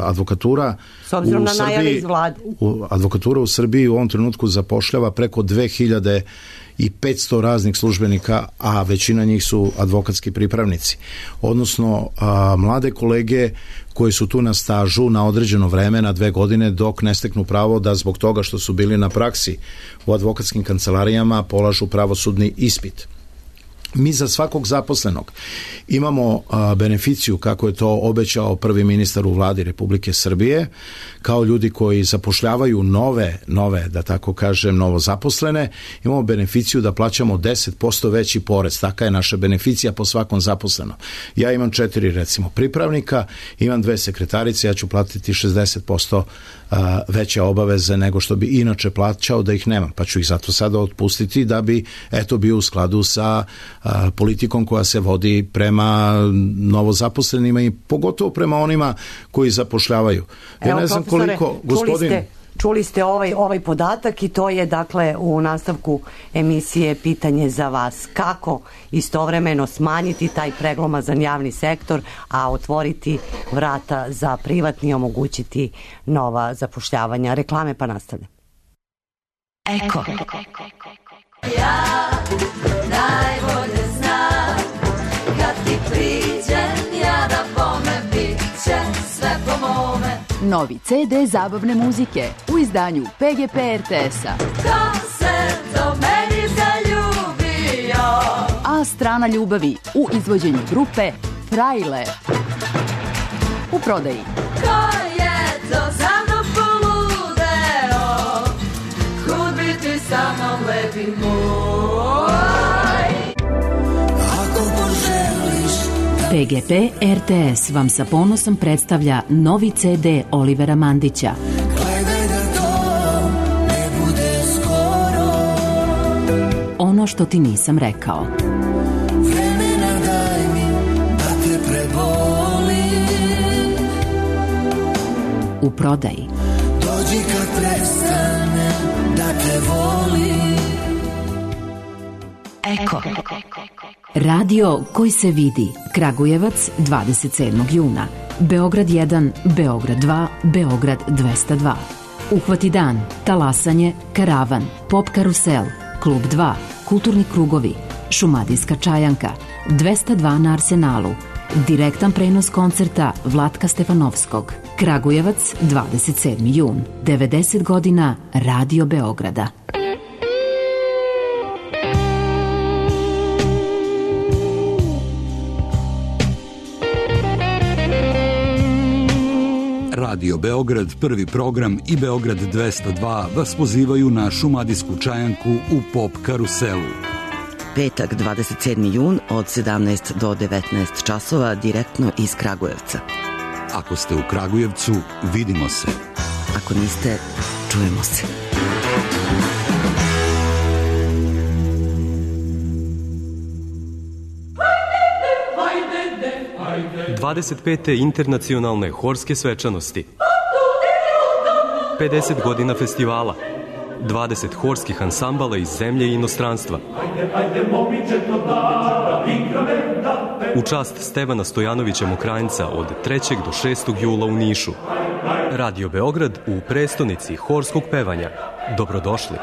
[SPEAKER 4] advokatura
[SPEAKER 3] s obzirom
[SPEAKER 4] u
[SPEAKER 3] na najave
[SPEAKER 4] Srbiji,
[SPEAKER 3] iz vlade.
[SPEAKER 4] U, advokatura u Srbiji u ovom trenutku zapošljava preko dve hiljade petsto raznih službenika, a većina njih su advokatski pripravnici. Odnosno, a, mlade kolege koji su tu na stažu na određeno vreme, na dve godine, dok ne steknu pravo da zbog toga što su bili na praksi u advokatskim kancelarijama polažu pravosudni ispit. Mi za svakog zaposlenog imamo a, beneficiju, kako je to obećao prvi ministar u vladi Republike Srbije, kao ljudi koji zapošljavaju nove, nove, da tako kažem, novo zaposlene, imamo beneficiju da plaćamo deset posto veći porez. Taka je naša beneficija po svakom zaposlenom. Ja imam četiri, recimo, pripravnika, imam dve sekretarice, ja ću platiti šezdeset posto a, veće obaveze nego što bi inače plaćao da ih nemam, pa ću ih zato sada otpustiti da bi, eto, bio u skladu sa a, politikom koja se vodi prema novozaposlenima i pogotovo prema onima koji zapošljavaju. Ja
[SPEAKER 3] Evo,
[SPEAKER 4] ne znam koliko, gospodin...
[SPEAKER 3] Čuli ste, čuli ste ovaj, ovaj podatak i to je dakle u nastavku emisije pitanje za vas. Kako istovremeno smanjiti taj preglomazan javni sektor, a otvoriti vrata za privatni i omogućiti nova zapošljavanja? Reklame pa nastavlja.
[SPEAKER 2] Eko.
[SPEAKER 8] Ja najbolje znam kad ti priđem ja da bome bit će sve po mome.
[SPEAKER 9] Novi ce de zabavne muzike u izdanju pe ge pe er te es-a.
[SPEAKER 8] Ko se do meni zaljubio?
[SPEAKER 9] A strana ljubavi u izvođenju grupe Frajle. U prodaji.
[SPEAKER 8] Ko je to za mnom poludeo? Kud bi ti sa mnom lepi moj? Ako poželiš
[SPEAKER 10] pe ge pe er te es vam sa ponosom predstavlja novi ce de Olivera Mandića.
[SPEAKER 8] gledaj da to ne bude skoro.
[SPEAKER 10] Ono što ti nisam rekao.
[SPEAKER 8] Vremena daj mi da te prebolim.
[SPEAKER 10] U prodaji.
[SPEAKER 8] Dođi kad prestanem da te volim.
[SPEAKER 2] Eko.
[SPEAKER 10] Radio koji se vidi. Kragujevac dvadeset sedmog juna. Beograd jedan, Beograd dva, Beograd dvesta dva. Uhvati dan, talasanje, karavan, pop karusel, klub dva, kulturni krugovi, šumadijska čajanka, dvesta dva na Arsenalu. Direktan prenos koncerta Vlatka Stefanovskog. Kragujevac dvadeset sedmi jun. devedeset godina Radio Beograda.
[SPEAKER 11] Radio Beograd, prvi program i Beograd dvesta dva vas pozivaju na šumadijsku čajanku u pop karuselu.
[SPEAKER 2] Petak dvadeset sedmi jun od sedamnaest do devetnaest časova direktno iz Kragujevca.
[SPEAKER 11] Ako ste u Kragujevcu, vidimo se.
[SPEAKER 2] Ako niste, čujemo se.
[SPEAKER 12] dvadeset pete internacionalne horske svečanosti, pedeset godina festivala, dvadeset horskih ansambala iz zemlje i inostranstva. U čast Stevana Stojanovića Mokranjca od trećeg do šestog jula u Nišu. Radio Beograd u prestonici horskog pevanja. Dobrodošli.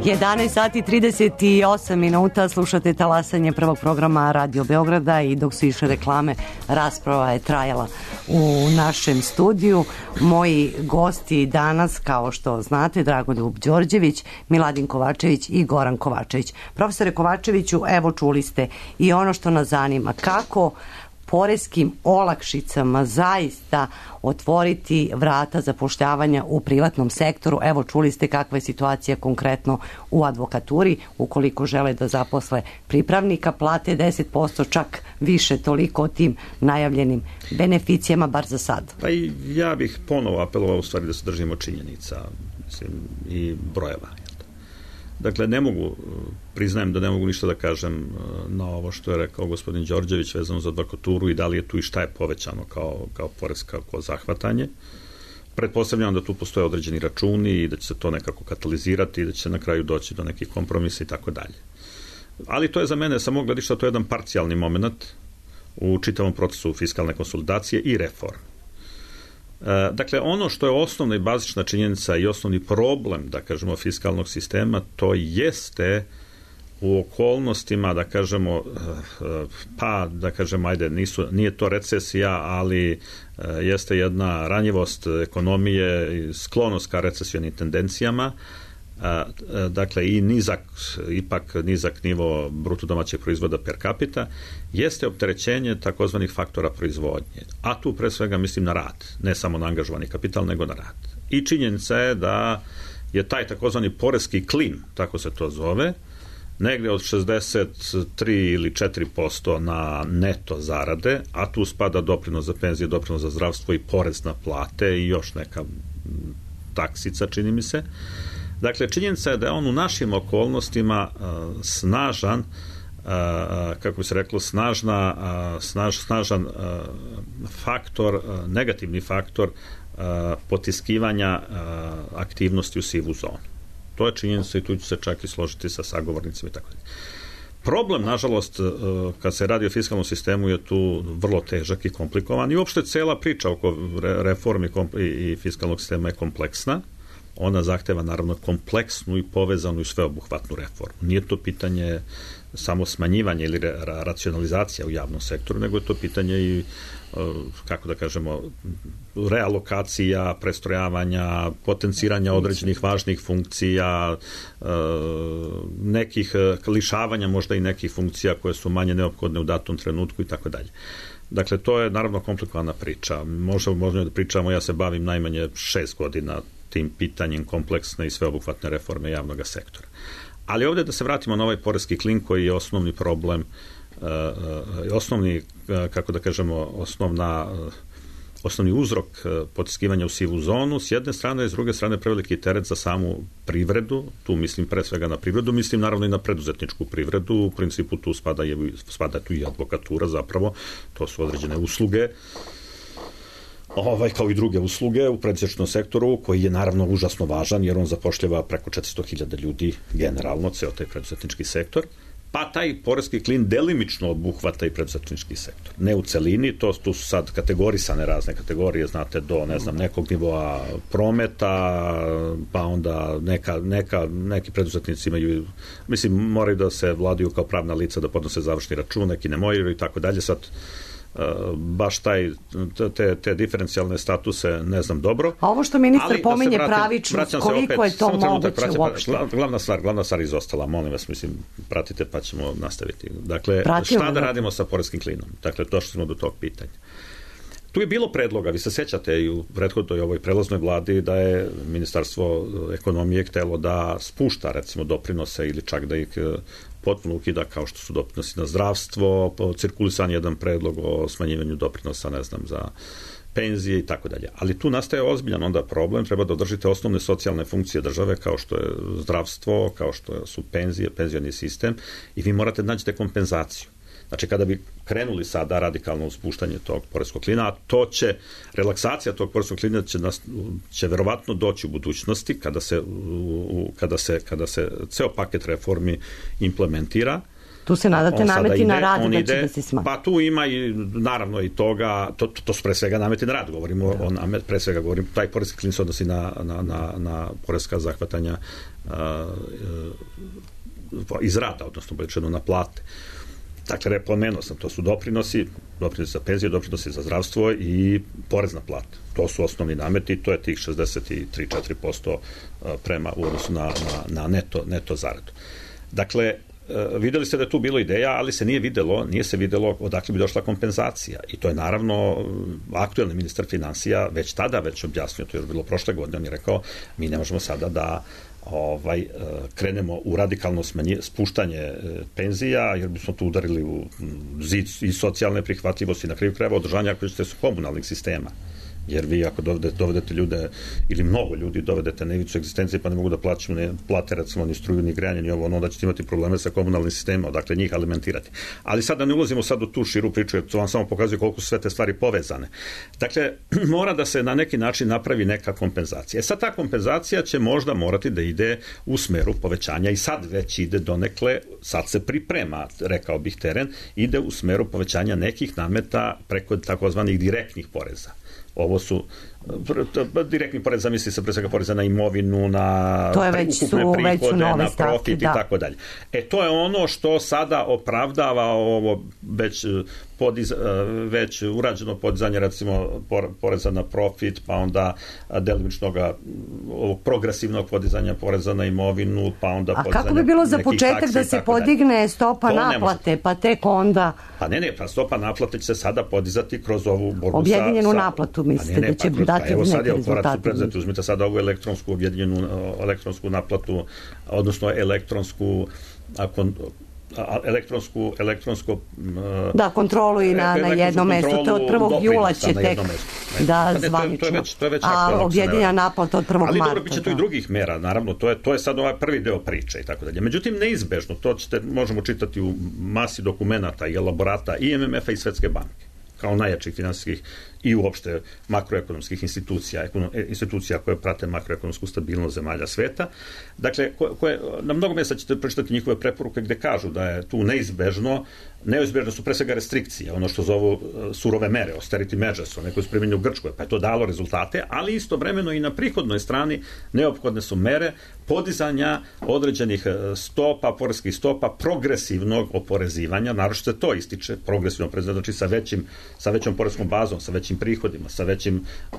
[SPEAKER 3] jedanaest sati trideset osam minuta, slušate talasanje prvog programa Radio Beograda i dok su išle reklame, rasprava je trajala u našem studiju. Moji gosti danas, kao što znate, Dragoljub Đorđević, Miladin Kovačević i Goran Kovačević. Profesore Kovačeviću, evo čuli ste i ono što nas zanima, kako poreskim olakšicama zaista otvoriti vrata zapošljavanja u privatnom sektoru. Evo čuli ste kakva je situacija konkretno u advokaturi. Ukoliko žele da zaposle pripravnika, plate deset posto, čak više, toliko o tim najavljenim beneficijama, bar za sad.
[SPEAKER 5] Pa i ja bih ponovo apelovao u stvari da se držimo činjenica, mislim, i brojeva. Dakle, ne mogu, priznajem da ne mogu ništa da kažem na ovo što je rekao gospodin Đorđević vezano za advokaturu i da li je tu i šta je povećano kao, kao poreska kao zahvatanje. Pretpostavljam da tu postoje određeni računi i da će se to nekako katalizirati i da će se na kraju doći do nekih kompromisa i tako dalje. Ali to je za mene samo gledišta, to je jedan parcijalni moment u čitavom procesu fiskalne konsolidacije i reforme. Dakle, ono što je osnovna i bazična činjenica i osnovni problem, da kažemo, fiskalnog sistema, to jeste u okolnostima, da kažemo, pa, da kažemo, ajde, nisu, nije to recesija, ali jeste jedna ranjivost ekonomije, sklonost ka recesijnim tendencijama, dakle i nizak, ipak nizak nivo bruto domaćeg proizvoda per capita, jeste opterećenje takozvanih faktora proizvodnje. A tu pre svega mislim na rad, ne samo na angažovani kapital, nego na rad. I činjenica je da je taj takozvani poreski klin, tako se to zove, negdje od šezdeset tri ili četiri posto na neto zarade, a tu spada doprinos za penzije, doprinos za zdravstvo i porez na plate i još neka taksica, čini mi se. Dakle, činjenica je da je on u našim okolnostima uh, snažan, uh, kako bi se reklo, snažna, uh, snaž, snažan uh, faktor, uh, negativni faktor uh, potiskivanja uh, aktivnosti u sivu zonu. To je činjenica i tu ću se čak i složiti sa sagovornicima i tako dalje. Problem, nažalost, uh, kad se radi o fiskalnom sistemu je tu vrlo težak i komplikovan i uopšte cela priča oko reformi i, i fiskalnog sistema je kompleksna. Ona zahteva naravno kompleksnu i povezanu i sveobuhvatnu reformu. Nije to pitanje samo smanjivanja ili ra- racionalizacija u javnom sektoru, nego je to pitanje i, kako da kažemo, realokacija, prestrojavanja, potenciranja određenih važnih funkcija, nekih lišavanja možda i nekih funkcija koje su manje neophodne u datom trenutku i tako dalje. Dakle, to je naravno komplikovana priča. Možemo, možemo da pričamo, ja se bavim najmanje šest godina tim pitanjem kompleksne i sveobuhvatne reforme javnog sektora. Ali ovdje da se vratimo na ovaj poreski klin koji je osnovni problem, uh, osnovni, uh, kako da kažemo, osnovna, uh, osnovni uzrok uh, potiskivanja u sivu zonu, s jedne strane i s druge strane preveliki teret za samu privredu, tu mislim pre svega na privredu, mislim naravno i na preduzetničku privredu, u principu tu spada, je, spada tu i advokatura zapravo, to su određene usluge, Ovaj, kao i druge usluge u preduzetničkom sektoru, koji je naravno užasno važan, jer on zapošljava preko četiristo hiljada ljudi generalno, ceo taj preduzetnički sektor, pa taj poreski klin delimično obuhvata i preduzetnički sektor. Ne u celini, to tu su sad kategorisane razne kategorije, znate, do, ne znam, nekog nivoa prometa, pa onda neka, neka, neki preduzetnici imaju, mislim, moraju da se vladaju kao pravna lica, da podnose završni račun, neki ne moraju i tako dalje, sad baš taj, te, te diferencijalne statuse ne znam dobro.
[SPEAKER 3] A ovo što ministar
[SPEAKER 5] ali,
[SPEAKER 3] pominje
[SPEAKER 5] da vratim,
[SPEAKER 3] pravičnost, koliko
[SPEAKER 5] opet,
[SPEAKER 3] je to moguće
[SPEAKER 5] pratim,
[SPEAKER 3] uopšte?
[SPEAKER 5] Glavna stvar, glavna stvar izostala, molim vas, mislim, pratite pa ćemo nastaviti. Dakle,
[SPEAKER 3] Pratimo,
[SPEAKER 5] šta da
[SPEAKER 3] da
[SPEAKER 5] radimo sa poreskim klinom? Dakle, došli smo do tog pitanja. Tu je bilo predloga, vi se sećate i u prethodnoj ovoj prelaznoj vladi da je Ministarstvo ekonomije htelo da spušta recimo doprinose ili čak da ih potpuno ukida kao što su doprinosi na zdravstvo, cirkulisan jedan predlog o smanjivanju doprinosa, ne znam, za penzije i tako dalje. Ali tu nastaje ozbiljan onda problem, treba da održite osnovne socijalne funkcije države kao što je zdravstvo, kao što su penzije, penzioni sistem i vi morate da nađete kompenzaciju. Znači, kada bi krenuli sada radikalno uspuštanje tog poreskog klina, a to će, relaksacija tog poreskog klina će, nas, će verovatno doći u budućnosti kada se, u, kada se, kada se ceo paket reformi implementira,
[SPEAKER 3] Tu se nadate
[SPEAKER 5] On sada
[SPEAKER 3] nameti
[SPEAKER 5] ide,
[SPEAKER 3] na rad
[SPEAKER 5] on
[SPEAKER 3] da
[SPEAKER 5] ide,
[SPEAKER 3] će da se smanji.
[SPEAKER 5] Pa tu ima i naravno i toga, to, to su pre svega nameti na rad, govorimo o namet, pre svega govorim, taj poreski klin se odnosi na, na, na, na poreska zahvatanja a, a, iz rada, odnosno bolje na plate. Dakle, pomenuo sam, to su doprinosi, doprinosi za penzije, doprinosi za zdravstvo i porez na plate. To su osnovni nameti, to je tih šezdeset tri do četiri posto prema u odnosu na, na, na neto, neto zaradu. Dakle, videli ste da je tu bilo ideja, ali se nije videlo, nije se videlo odakle bi došla kompenzacija. I to je naravno aktuelni ministar finansija već tada već objasnio, to je bilo prošle godine, on je rekao, mi ne možemo sada da ovaj krenemo u radikalno smanje, spuštanje penzija, jer bismo tu udarili u zid i socijalne prihvatljivosti, na kraju krajeva održanja ako ćete su komunalnih sistema. Jer vi ako dovedete, dovedete ljude, ili mnogo ljudi dovedete na ivicu egzistencije, pa ne mogu da plaćaju, ne plate recimo ni struju, ni grejanje, ni ovo, onda ćete imati probleme sa komunalnim sistemom, dakle njih alimentirati. Ali sad da ne ulazimo sad u tu širu priču, jer to vam samo pokazuje koliko su sve te stvari povezane. Dakle, mora da se na neki način napravi neka kompenzacija. E sad ta kompenzacija će možda morati da ide u smeru povećanja i sad već ide donekle, sad se priprema, rekao bih teren, ide u smeru povećanja nekih nameta preko takozvanih direktnih poreza. Ovo su direktni porez, misli se pre svega poreza na imovinu, na
[SPEAKER 3] to je već
[SPEAKER 5] ukupne
[SPEAKER 3] su,
[SPEAKER 5] prihode,
[SPEAKER 3] već su nove
[SPEAKER 5] na
[SPEAKER 3] stavke,
[SPEAKER 5] profit
[SPEAKER 3] da.
[SPEAKER 5] i tako dalje. E, to je ono što sada opravdava ovo već, podiz, već urađeno podizanje, recimo, poreza na profit, pa onda delimičnog ovog progresivnog podizanja poreza na imovinu, pa onda
[SPEAKER 3] a
[SPEAKER 5] podizanja
[SPEAKER 3] kako bi bilo za početak da se podigne
[SPEAKER 5] dalje.
[SPEAKER 3] stopa to naplate, pa tek onda...
[SPEAKER 5] Pa ne, ne, pa stopa naplate će se sada podizati kroz ovu borbu
[SPEAKER 3] objedinjenu
[SPEAKER 5] sa...
[SPEAKER 3] naplatu, mislite,
[SPEAKER 5] pa ne, ne,
[SPEAKER 3] da će
[SPEAKER 5] pa,
[SPEAKER 3] dati
[SPEAKER 5] evo sad
[SPEAKER 3] neke
[SPEAKER 5] je korak su
[SPEAKER 3] rezultate.
[SPEAKER 5] predzeti, uzmite sada ovu elektronsku objedinjenu elektronsku naplatu, odnosno elektronsku ako, elektronsku elektronsku
[SPEAKER 3] da, kontrolu i na, na jednom mestu, to od prvog jula će tek da zvanično, a objedinjena naplata od prvog
[SPEAKER 5] ali
[SPEAKER 3] marta.
[SPEAKER 5] Ali dobro, bit će tu i drugih mera, naravno, to je, to je sad ovaj prvi deo priče i tako dalje. Međutim, neizbežno, to ćete, možemo čitati u masi dokumenata i elaborata i M M F-a i Svetske banke, kao najjačih finansijskih i uopšte makroekonomskih institucija, institucija koje prate makroekonomsku stabilnost zemalja sveta. Dakle, koje, na mnogo mjesta ćete pročitati njihove preporuke gde kažu da je tu neizbežno, neizbežno su pre svega restrikcije, ono što zovu surove mere, austerity measures, one koje su primjenjene u Grčkoj, pa je to dalo rezultate, ali istovremeno i na prihodnoj strani neophodne su mere podizanja određenih stopa, poreskih stopa, progresivnog oporezivanja, naročito se to ističe, progresivno oporezivanje, znači sa većim, sa većom poreskom bazom, sa većim prihodima, sa većim e,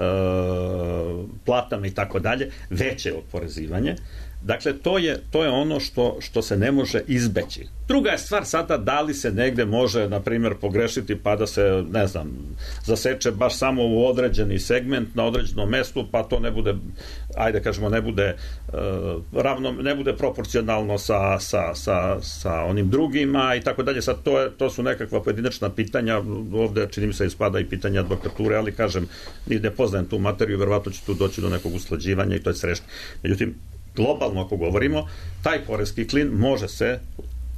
[SPEAKER 5] platama i tako dalje, veće oporezivanje. Dakle, to je, to je ono što, što se ne može izbeći. Druga je stvar sada da li se negde može, na primjer, pogrešiti pa da se, ne znam, zaseče baš samo u određeni segment na određenom mestu, pa to ne bude, ajde kažemo, ne bude uh, ravno, ne bude proporcionalno sa, sa, sa, sa onim drugima i tako dalje. Sad to, je, to su nekakva pojedinačna pitanja, ovde čini mi se ispada i pitanja advokature, ali kažem, ne poznajem tu materiju, verovatno će tu doći do nekog usklađivanja i to je srešno. Međutim, globalno ako govorimo, taj poreski klin može se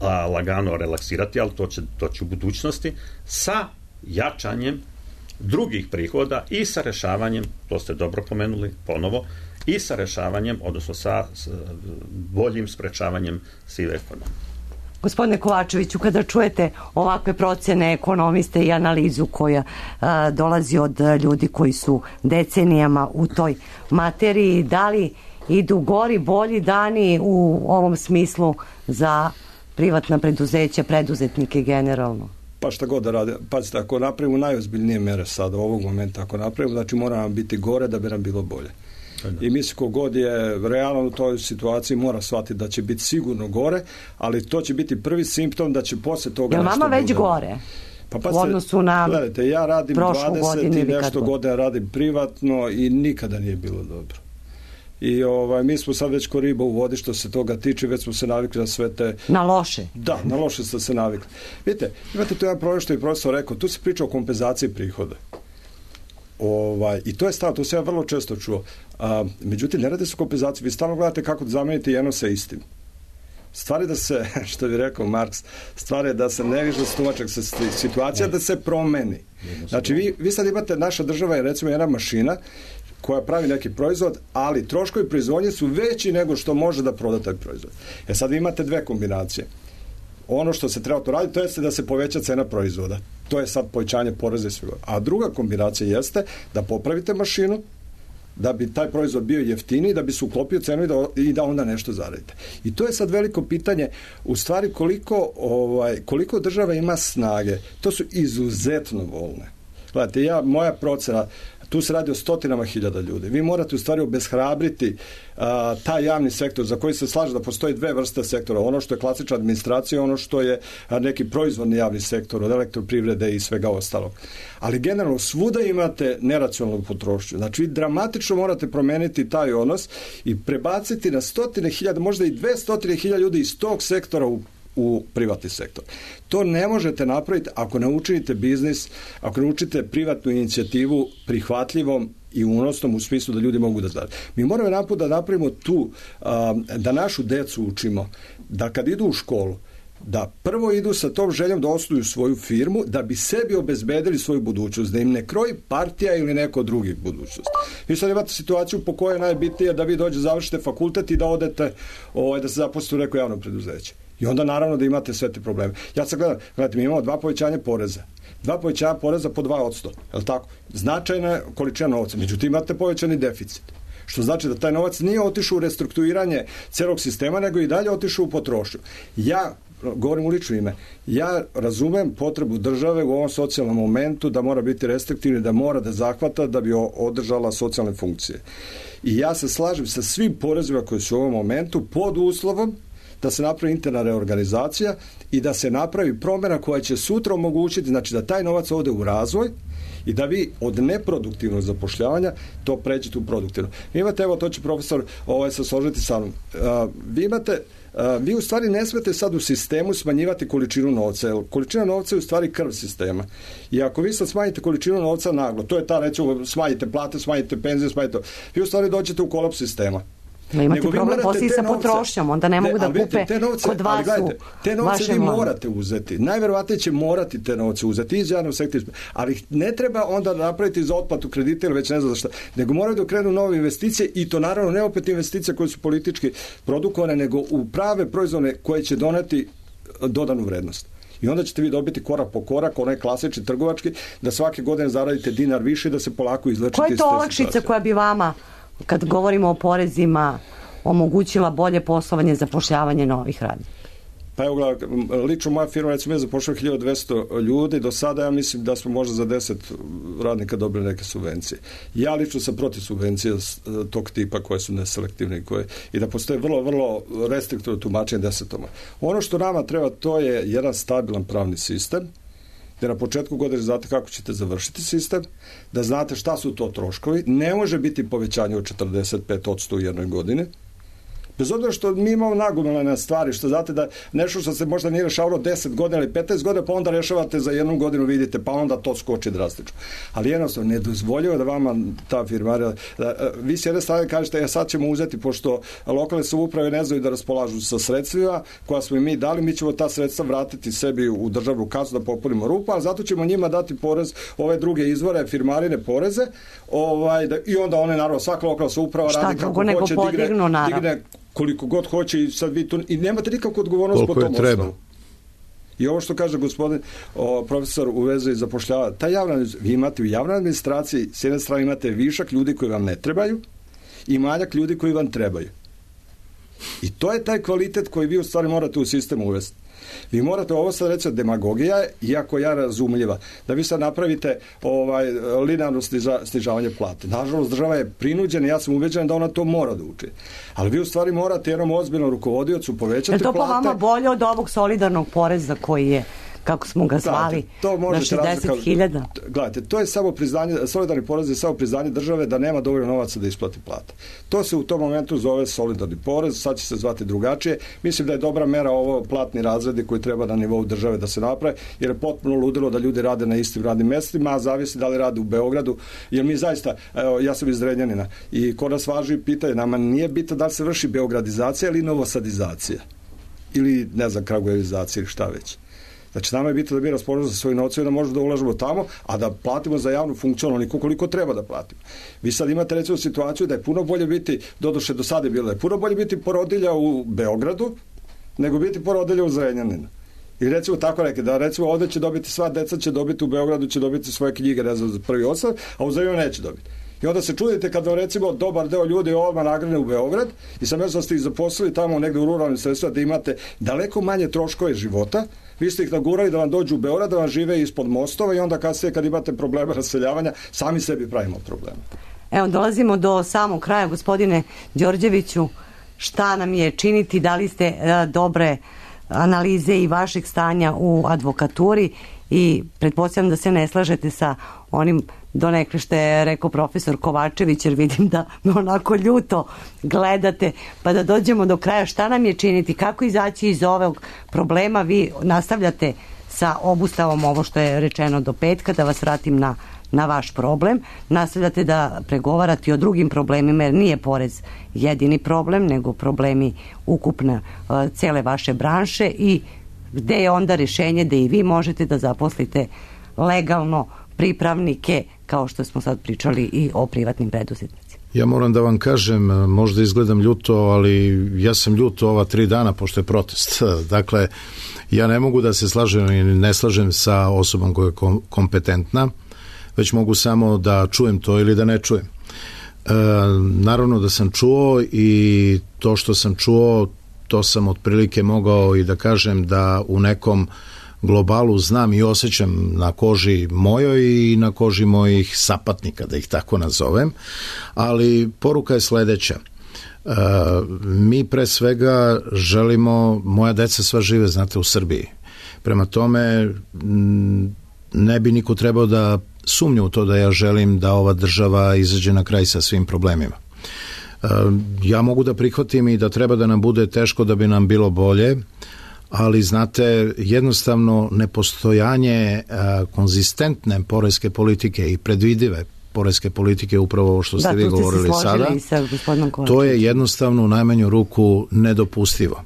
[SPEAKER 5] a, lagano relaksirati, ali to će doći u budućnosti sa jačanjem drugih prihoda i sa rešavanjem, to ste dobro pomenuli ponovo, i sa rešavanjem, odnosno sa, sa boljim sprečavanjem sive ekonomije.
[SPEAKER 3] Gospodine Kovačeviću, kada čujete ovakve procene ekonomiste i analizu koja a, dolazi od ljudi koji su decenijama u toj materiji, da li idu gori, bolji dani u ovom smislu za privatna preduzeća, preduzetnike generalno?
[SPEAKER 7] Pa šta god da rade, pazite, ako napravimo najozbiljnije mere sada, ovog momenta, ako napravimo, znači mora nam biti gore da bi nam bilo bolje. I mislim kogod je realno u toj situaciji mora shvatiti da će biti sigurno gore, ali to će biti prvi simptom da će posle toga
[SPEAKER 3] nešto
[SPEAKER 7] nešto
[SPEAKER 3] bude. Jel vama već
[SPEAKER 7] bude.
[SPEAKER 3] gore?
[SPEAKER 7] Pa pa
[SPEAKER 3] u odnosu na
[SPEAKER 7] gledajte, ja radim dvadeset i nešto
[SPEAKER 3] god.
[SPEAKER 7] godina radim privatno i nikada nije bilo dobro. I ovaj, mi smo sad već ko riba u vodi što se toga tiče, već smo se navikli na sve te...
[SPEAKER 3] Na loše?
[SPEAKER 7] Da, na loše ste se navikli. Vidite, imate tu jedan problem što je profesor rekao, tu se priča o kompenzaciji prihoda. Ovaj, I to je stavno, to se ja vrlo često čuo. A, međutim, ne radi se o kompenzaciji, vi stalno gledate kako da zamenite jedno sa istim. Stvar je da se, što bi rekao Marks, stvar je da se ne više stumačak se situacija, ne. Da se promeni. Znači, vi, vi sad imate, naša država je recimo jedna mašina koja pravi neki proizvod, ali troškovi proizvodnje su veći nego što može da proda taj proizvod. E sad vi imate dve kombinacije. ono što se treba to raditi, to jeste da se poveća cena proizvoda. To je sad povećanje poreza i svega. A druga kombinacija jeste da popravite mašinu, da bi taj proizvod bio jeftiniji, da bi se uklopio cenu i da, i da onda nešto zaradite. I to je sad veliko pitanje, u stvari koliko, ovaj, koliko država ima snage. To su izuzetno volne. Gledajte, ja, moja procena, tu se radi o stotinama hiljada ljudi. Vi morate u stvari obeshrabriti a, taj javni sektor za koji se slaže da postoji dve vrste sektora. Ono što je klasična administracija, ono što je a, neki proizvodni javni sektor od elektroprivrede i svega ostalog. Ali generalno svuda imate neracionalnu potrošnju. Znači vi dramatično morate promeniti taj odnos i prebaciti na stotine hiljada, možda i dve stotine hiljada ljudi iz tog sektora u u privatni sektor. To ne možete napraviti ako ne učinite biznis, ako ne učite privatnu inicijativu prihvatljivom i unosnom u smislu da ljudi mogu da zarade. Mi moramo naput da napravimo tu, da našu decu učimo, da kad idu u školu, da prvo idu sa tom željom da osnuju svoju firmu, da bi sebi obezbedili svoju budućnost, da im ne kroji partija ili neko drugi budućnost. Vi sad imate situaciju po kojoj je najbitnije da vi dođe, završite fakultet i da odete, ovaj, da se zaposlite u neko javno preduzeće. I onda naravno da imate sve te probleme. Ja sad gledam, gledajte, mi imamo dva povećanja poreza. Dva povećanja poreza po dva posto. Je li tako? Značajna količina novca. Međutim, imate povećani deficit. Što znači da taj novac nije otišao u restrukturiranje celog sistema, nego i dalje otišao u potrošnju. Ja, govorim u lično ime, ja razumem potrebu države u ovom socijalnom momentu da mora biti restriktivni, da mora da zahvata da bi održala socijalne funkcije. I ja se slažem sa svim porezima koji su u ovom momentu pod uslovom da se napravi interna reorganizacija i da se napravi promjena koja će sutra omogućiti, znači da taj novac ode u razvoj i da vi od neproduktivnog zapošljavanja to pređete u produktivno. Vi imate, evo to će profesor ovaj, se složiti sa mnom, uh, vi imate Uh, vi u stvari ne smete sad u sistemu smanjivati količinu novca, jer količina novca je u stvari krv sistema. I ako vi sad smanjite količinu novca naglo, to je ta, recimo, smanjite plate, smanjite penzije, smanjite, vi u stvari dođete u kolaps sistema.
[SPEAKER 3] Ma imate nego problem poslije sa potrošnjom, onda ne mogu da kupe kod vas u
[SPEAKER 7] te novce vi morate uzeti. Najverovatnije će morati te novce uzeti iz javnog sektora, ali ne treba onda napraviti za otplatu kredita ili već ne znam za šta, nego moraju da krenu nove investicije i to naravno ne opet investicije koje su politički produkovane, nego u prave proizvode koje će doneti dodanu vrednost. I onda ćete vi dobiti korak po korak, onaj klasični trgovački, da svake godine zaradite dinar više i da se polako izlečite.
[SPEAKER 3] Koja je to olakšica koja bi vama, kad govorimo o porezima, omogućila bolje poslovanje, zapošljavanje novih radnika?
[SPEAKER 7] Pa evo gledaj, lično moja firma, recimo ja zapošljava hiljadu dvesta ljudi, do sada ja mislim da smo možda za deset radnika dobili neke subvencije. Ja lično sam protiv subvencija tog tipa koje su neselektivne i, koje, i da postoje vrlo, vrlo restriktivno tumačenje desetoma. Ono što nama treba, to je jedan stabilan pravni sistem, da na početku godine znate kako ćete završiti sistem, da znate šta su to troškovi, ne može biti povećanje od četrdeset pet posto u jednoj godini, bez obzira što mi imamo nagomilane stvari, što znate da nešto što se možda nije rešavalo deset godina ili petnaest godina, pa onda rešavate za jednu godinu, vidite, pa onda to skoči drastično. Ali jednostavno, ne dozvoljava da vama ta firmarija, da, vi s jedne strane kažete, ja sad ćemo uzeti, pošto lokalne samouprave ne znaju da raspolažu sa sredstvima koja smo i mi dali, mi ćemo ta sredstva vratiti sebi u državnu kasu da popunimo rupu, ali zato ćemo njima dati porez, ove druge izvore, firmarine poreze, ovaj, da, i onda one, naravno, svaka lokalna samouprava radi kako hoće, digne, digne koliko god hoće i sad vi tu, i nemate nikakvu odgovornost po tom osnovu. I ovo što kaže gospodin o, profesor u vezi zapošljava, ta javna, vi imate u javnoj administraciji, s jedne strane imate višak ljudi koji vam ne trebaju i manjak ljudi koji vam trebaju. I to je taj kvalitet koji vi u stvari morate u sistemu uvesti. Vi morate, ovo sad reći demagogija, iako ja razumljiva, da vi sad napravite ovaj, linearno sniža, snižavanje plate. Nažalost, država je prinuđena, ja sam ubeđen da ona to mora da uči. Ali vi u stvari morate jednom ozbiljnom rukovodiocu povećati plate.
[SPEAKER 3] Je to po vama bolje od ovog solidarnog poreza koji je, kako smo ga zvali, na šezdeset hiljada?
[SPEAKER 7] Gledajte, to je samo priznanje, solidarni porez je samo priznanje države da nema dovoljno novaca da isplati plate. To se u tom momentu zove solidarni porez, sad će se zvati drugačije. Mislim da je dobra mera ovo platni razredi koji treba na nivou države da se naprave, jer je potpuno ludilo da ljudi rade na istim radnim mestima, a zavisi da li rade u Beogradu, jer mi zaista, evo, ja sam iz Zrenjanina i kod nas važi pitanje, nama nije bitno da li se vrši beogradizacija ili novosadizacija, ili ne znam, kragujevizacija ili šta već. Znači, nama je bitno da bi raspoložili za svoje novce i da možemo da ulažemo tamo, a da platimo za javnu funkciju onoliko koliko treba da platimo. Vi sad imate recimo situaciju da je puno bolje biti, doduše do sada je bilo, da je puno bolje biti porodilja u Beogradu nego biti porodilja u Zrenjaninu. I recimo tako neke, da recimo ovde će dobiti, sva deca će dobiti, u Beogradu će dobiti svoje knjige, ne znam, za prvi osam, a u Zrenjaninu neće dobiti. I onda se čudite kada recimo dobar deo ljudi odmah nagrane u Beograd i sam ja sam ste ih zaposlili tamo negde u ruralnim sredstvima da imate daleko manje troškove života, vi ste ih nagurali da vam dođu u Beograd, da vam žive ispod mostova i onda kasnije kad imate probleme raseljavanja, sami sebi pravimo probleme.
[SPEAKER 3] Evo, dolazimo do samog kraja, gospodine Đorđeviću, šta nam je činiti, da li ste uh, dobre analize i vašeg stanja u advokaturi i pretpostavljam da se ne slažete sa onim donekle što je rekao profesor Kovačević, jer vidim da onako ljuto gledate, pa da dođemo do kraja, šta nam je činiti, kako izaći iz ovog problema. Vi nastavljate sa obustavom, ovo što je rečeno, do petka, da vas vratim na, na vaš problem, nastavljate da pregovarate o drugim problemima, jer nije porez jedini problem, nego problemi ukupne uh, cele vaše branše, i gde je onda rešenje da i vi možete da zaposlite legalno pripravnike, kao što smo sad pričali i o privatnim preduzetnicima.
[SPEAKER 4] Ja moram da vam kažem, možda izgledam ljuto, ali ja sam ljuto ova tri dana pošto je protest. Dakle, ja ne mogu da se slažem i ne slažem sa osobom koja je kompetentna, već mogu samo da čujem to ili da ne čujem. E, naravno da sam čuo, i to što sam čuo, to sam otprilike mogao i da kažem da u nekom globalu znam i osjećam na koži mojoj i na koži mojih sapatnika, da ih tako nazovem, ali poruka je sledeća. E, mi pre svega želimo, moja deca sva žive, znate, u Srbiji. Prema tome, ne bi niko trebao da sumnja u to da ja želim da ova država izađe na kraj sa svim problemima. E, ja mogu da prihvatim i da treba da nam bude teško da bi nam bilo bolje, ali znate, jednostavno nepostojanje a, konzistentne poreske politike i predvidive poreske politike, upravo ovo što ste da, vi govorili sada, to je jednostavno u najmanju ruku nedopustivo.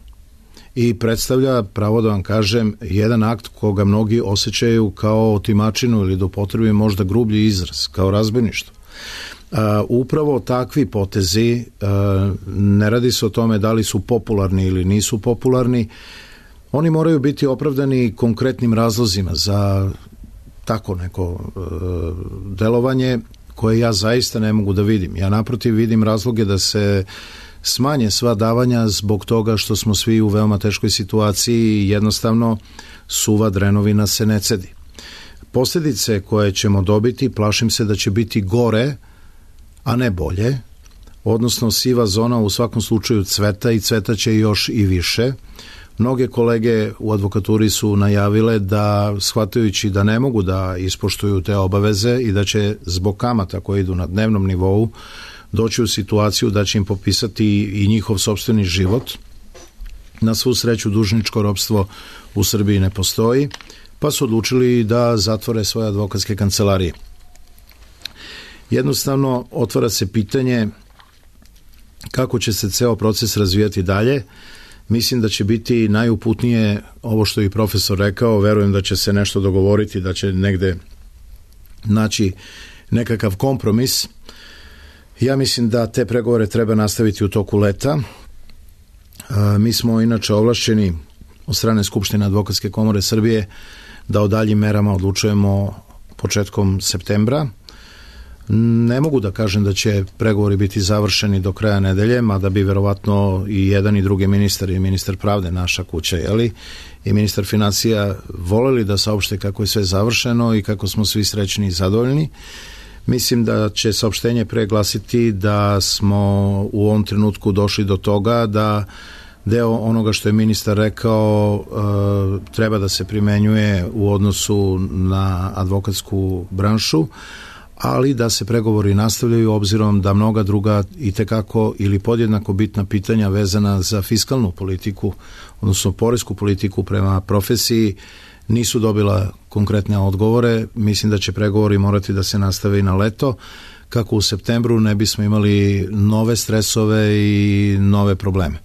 [SPEAKER 4] I predstavlja, pravo da vam kažem, jedan akt koga mnogi osjećaju kao otimačinu ili da upotrebi možda grublji izraz, kao razbojništvo. Uh, upravo takvi potezi, uh, ne radi se o tome da li su popularni ili nisu popularni, oni moraju biti opravdani konkretnim razlozima za tako neko uh, delovanje koje ja zaista ne mogu da vidim. Ja naprotiv vidim razloge da se smanje sva davanja zbog toga što smo svi u veoma teškoj situaciji i jednostavno suva drenovina se ne cedi. Posljedice koje ćemo dobiti, plašim se da će biti gore, a ne bolje, odnosno siva zona u svakom slučaju cveta i cveta će još i više. Mnoge kolege u advokaturi su najavile da, shvatajući da ne mogu da ispoštuju te obaveze i da će zbog kamata koje idu na dnevnom nivou doći u situaciju da će im popisati i njihov sopstveni život. Na svu sreću dužničko ropstvo u Srbiji ne postoji, pa su odlučili da zatvore svoje advokatske kancelarije. Jednostavno otvara se pitanje kako će se ceo proces razvijati dalje. Mislim da će biti najuputnije ovo što je i profesor rekao, verujem da će se nešto dogovoriti, da će negde naći nekakav kompromis. Ja mislim da te pregovore treba nastaviti u toku leta. Mi smo inače ovlašćeni od strane Skupštine Advokatske komore Srbije da o daljim merama odlučujemo početkom septembra. Ne mogu da kažem da će pregovori biti završeni do kraja nedelje, mada bi verovatno i jedan i drugi ministar, i ministar pravde, naša kuća, jeli, i ministar financija voleli da saopšte kako je sve završeno i kako smo svi srećni i zadovoljni. Mislim da će saopštenje preglasiti da smo u ovom trenutku došli do toga da deo onoga što je ministar rekao e, treba da se primenjuje u odnosu na advokatsku branšu, ali da se pregovori nastavljaju obzirom da mnoga druga itekako ili podjednako bitna pitanja vezana za fiskalnu politiku, odnosno poresku politiku prema profesiji, nisu dobila konkretne odgovore. Mislim da će pregovori morati da se nastave i na leto, kako u septembru ne bismo imali nove stresove i nove probleme.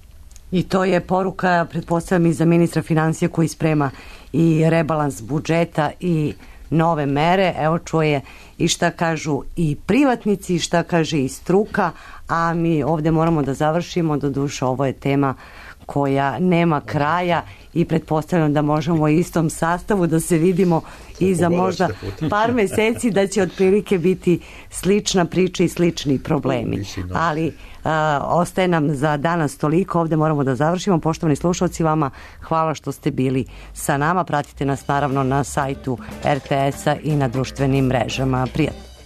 [SPEAKER 3] I to je poruka, pretpostavljam, i za ministra financija koji sprema i rebalans budžeta i nove mere. Evo čuje i šta kažu i privatnici, i šta kaže i struka, a mi ovde moramo da završimo. Doduše, ovo je tema koja nema kraja i pretpostavljam da možemo u istom sastavu da se vidimo i za možda par meseci, da će otprilike biti slična priča i slični problemi. Ali a, ostaje nam za danas toliko, ovde moramo da završimo. Poštovani slušalci, vama hvala što ste bili sa nama, pratite nas naravno na sajtu er te es-a i na društvenim mrežama. Prijatno.